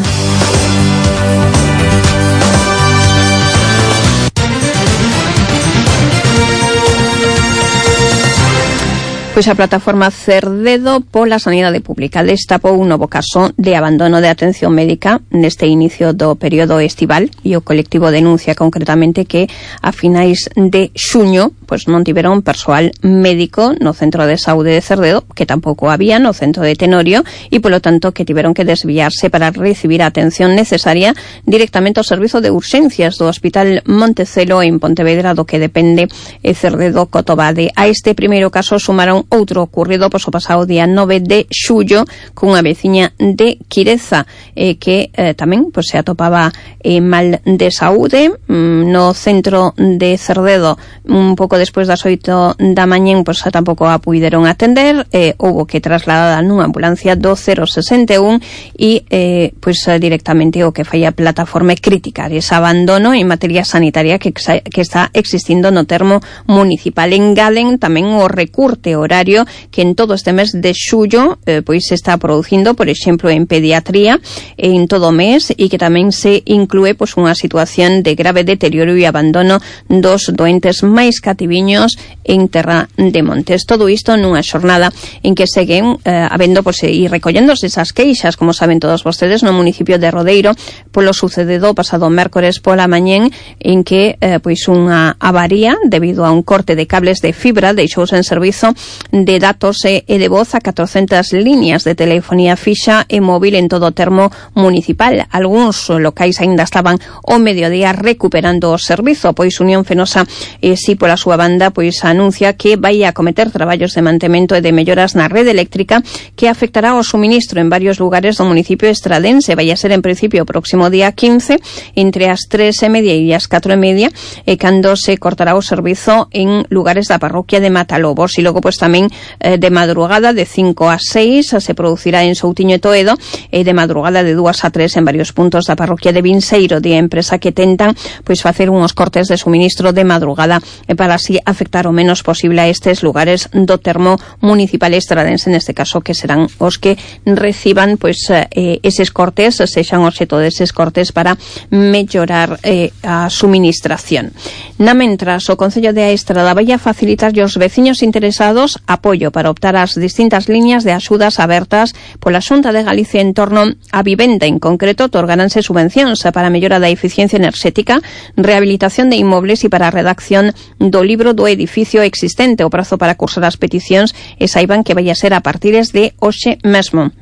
Pois a plataforma Cerdedo pola Sanidade Pública destapou un novo caso de abandono de atención médica neste inicio do período estival e o colectivo denuncia concretamente que a finais de xuño pois non tiveron persoal médico no Centro de Saúde de Cerdedo, que tampouco había no Centro de Tenorio e polo tanto que tiveron que desviarse para recibir a atención necesaria directamente ao servizo de urxencias do Hospital Montecelo en Pontevedra, do que depende e Cerdedo Cotobade. A este primeiro caso sumaron outro ocurrido pois, o pasado día nove de xullo cunha veciña de Quireza eh, que eh, tamén pois, se atopaba eh, mal de saúde mm, no centro de Cerdedo un pouco despois das oito da mañén pois, tampouco a puideron atender eh, houbo que trasladada nunha ambulancia do cero sesenta e un e eh, pois, directamente o que fai a plataforma criticar ese abandono en materia sanitaria que, que está existindo no termo municipal. Engaden tamén o recurte horario que en todo este mes de xullo eh, pois se está producindo, por exemplo, en pediatría en todo o mes e que tamén se inclúe pois unha situación de grave deterioro e abandono dos doentes máis cativiños en Terra de Montes. Todo isto nunha xornada en que seguen eh, habendo pois, e recollendose esas queixas, como saben todos vostedes, no municipio de Rodeiro polo sucedido pasado mércores pola mañén en que eh, pois unha avaría debido a un corte de cables de fibra deixouse en servizo de datos e de voz a catrocentas líneas de telefonía fixa e móvil en todo o termo municipal. Algúns locais aínda estaban ao mediodía recuperando o servizo, pois Unión Fenosa e si pola súa banda pois anuncia que vai a cometer traballos de mantemento e de melloras na rede eléctrica que afectará o suministro en varios lugares do municipio estradense. Vai a ser en principio o próximo día quince entre as tres e media e as catro e media e cando se cortará o servizo en lugares da parroquia de Matalobos. E logo pois tamén eh, de madrugada de cinco a seis se producirá en Soutiño e Toedo e de madrugada de dúas a tres en varios puntos da parroquia de Vinseiro, de empresa que tentan pois facer unhos cortes de suministro de madrugada e para así afectar o menos posible a estes lugares do termo municipal estradense, neste caso que serán os que reciban pois eh, eses cortes, sexan obxeto deses cortes para mellorar eh, a suministración. Na mentras, o Concello de Aestrada vai a facilitar aos veciños interesados apoio para optar ás distintas líneas de axudas abertas pola Xunta de Galicia en torno á vivenda. En concreto, otorgaránse subvencións para a mellora da eficiencia enerxética, rehabilitación de inmobles e para a redacción do libro do edificio existente. O prazo para cursar as peticións e saiban que vai a ser a partires de hoxe mesmo.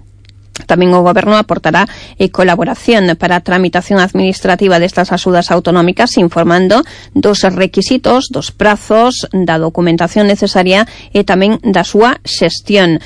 Tamén o Goberno aportará eh, colaboración para a tramitación administrativa destas axudas autonómicas, informando dos requisitos, dos prazos, da documentación necesaria e tamén da súa xestión.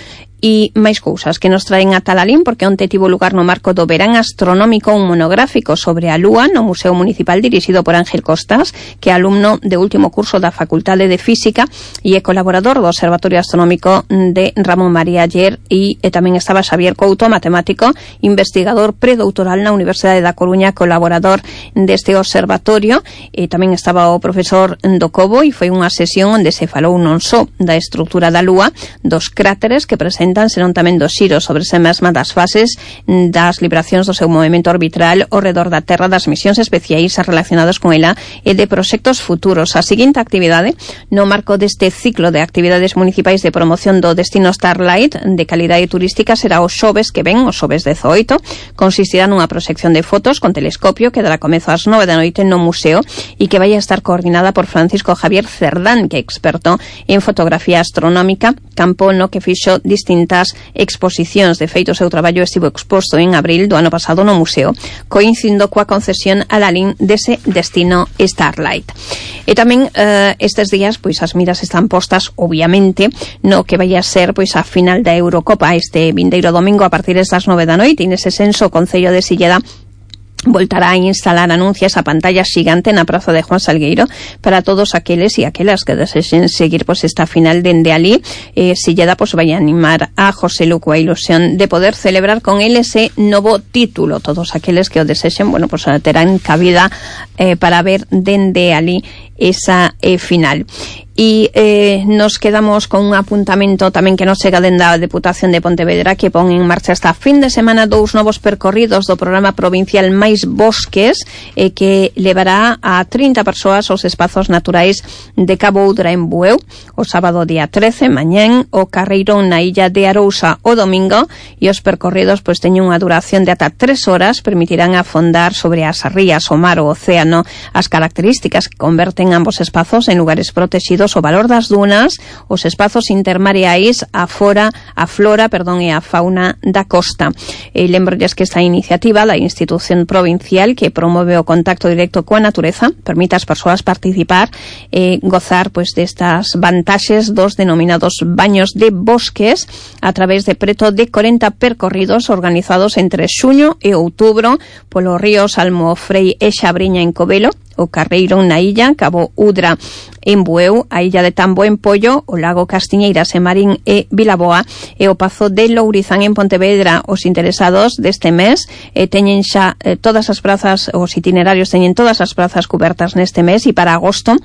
E máis cousas que nos traen a Talalín, porque onte tivo lugar no marco do Verán Astronómico un monográfico sobre a Lúa no Museo Municipal dirixido por Ángel Costas, que é alumno de último curso da Facultade de Física e é colaborador do Observatorio Astronómico de Ramón María Aller, e, e tamén estaba Xavier Couto, matemático, investigador predoutoral na Universidade da Coruña, colaborador deste observatorio, e tamén estaba o profesor do Cobo, e foi unha sesión onde se falou non só da estrutura da Lúa, dos cráteres que presentan, senón tamén dos xiros sobre se mesma, das fases, das libracións do seu movimento orbital ao redor da Terra, das misións especiais relacionadas con ela e de proxectos futuros. A seguinte actividade, no marco deste ciclo de actividades municipais de promoción do destino Starlight de calidade turística, será o xoves que ven, o xoves dezoito, consistirá nunha proxección de fotos con telescopio que dará comezo ás nove da noite no museo e que vai a estar coordinada por Francisco Javier Cerdán, que é experto en fotografía astronómica, campo no que fixo distintas exposicións. De feito, o seu traballo estivo exposto en abril do ano pasado no museo, coincidindo coa concesión a Lalín dese destino Starlight. E tamén eh, estes días, pois as miras están postas, obviamente, no que vai a ser pois a final da Eurocopa este vindeiro domingo a partir das nove da noite, e nese senso o Concello de Silleda voltará a instalar anuncios a pantalla xigante na praza de Juan Salgueiro para todos aqueles e aquelas que desexen seguir pois esta final dende ali. Eh, Silleda pois vai a animar a José Lu coa ilusión de poder celebrar con ele ese novo título. Todos aqueles que o desexen, bueno, pois terán cabida eh, para ver dende ali esa eh, final. E eh, nos quedamos con un apuntamento tamén que nos chega dende a Deputación de Pontevedra, que pon en marcha esta fin de semana dous novos percorridos do programa provincial Máis Bosques, eh, que levará a trinta persoas aos espazos naturais de Cabo Udra en Bueu o sábado día trece, mañén, o Carreirón na illa de Arousa o domingo, e os percorridos pois teñen unha duración de ata tres horas, permitirán afondar sobre as rías, o mar, o océano, as características que converten ambos espazos en lugares protegidos, o valor das dunas, os espazos intermareais, a fora, a flora, perdón, e a fauna da costa. E lembrolles que esta iniciativa da institución provincial que promove o contacto directo coa natureza permite ás persoas participar e gozar pois destas vantaxes dos denominados baños de bosques a través de preto de corenta percorridos organizados entre xuño e outubro polos ríos Almofrei e Xabriña en Covelo, o Carreirón na illa, Cabo Udra en Bueu, a illa de Tambo en Pollo, o lago Castiñeiras en Marín e Vilaboa e o Pazo de Lourizán en Pontevedra. Os interesados deste mes eh, teñen xa eh, todas as prazas, os itinerarios teñen todas as prazas cobertas neste mes, e para agosto,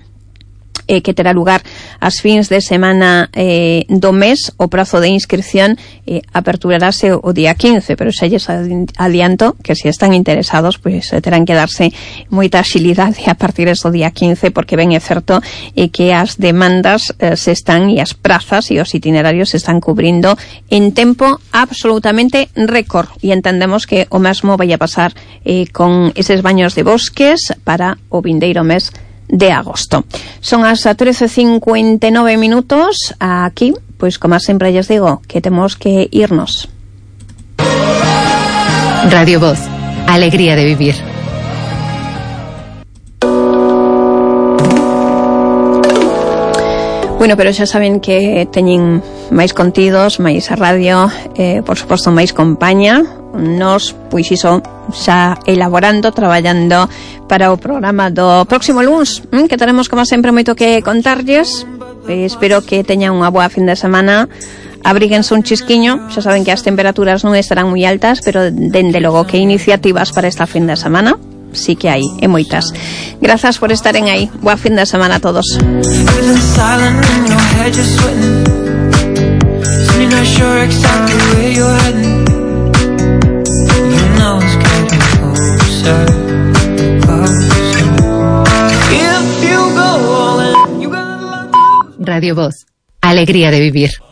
eh, que terá lugar as fins de semana eh, do mes, o prazo de inscripción eh, aperturarase o día quince, pero xa lles adianto que se están interesados, pois pues, terán que darse moita axilidade a partir do día quince, porque ben é certo eh, que as demandas eh, se están, e as prazas e os itinerarios se están cubrindo en tempo absolutamente récord, e entendemos que o mesmo vai a pasar eh, con eses baños de bosques para o vindeiro mes de agosto. Son as trece cincuenta e nove minutos. Aquí, pois como sempre lles digo, que temos que irnos. Radio Voz, alegría de vivir. Bueno, pero xa saben que teñen máis contidos, máis a radio, eh, por suposto máis compañía. Nos, pois iso, xa elaborando, traballando para o programa do próximo luns, hm, que teremos como sempre moito que contarlles. Eh, espero que teñan unha boa fin de semana. Abríguense un chisquiño, xa saben que as temperaturas non estarán moi altas, pero dende logo que iniciativas para esta fin de semana sí que hai, e moitas. Grazas por estaren aí. Boa fin de semana a todos. Radio Voz. Alegría de vivir.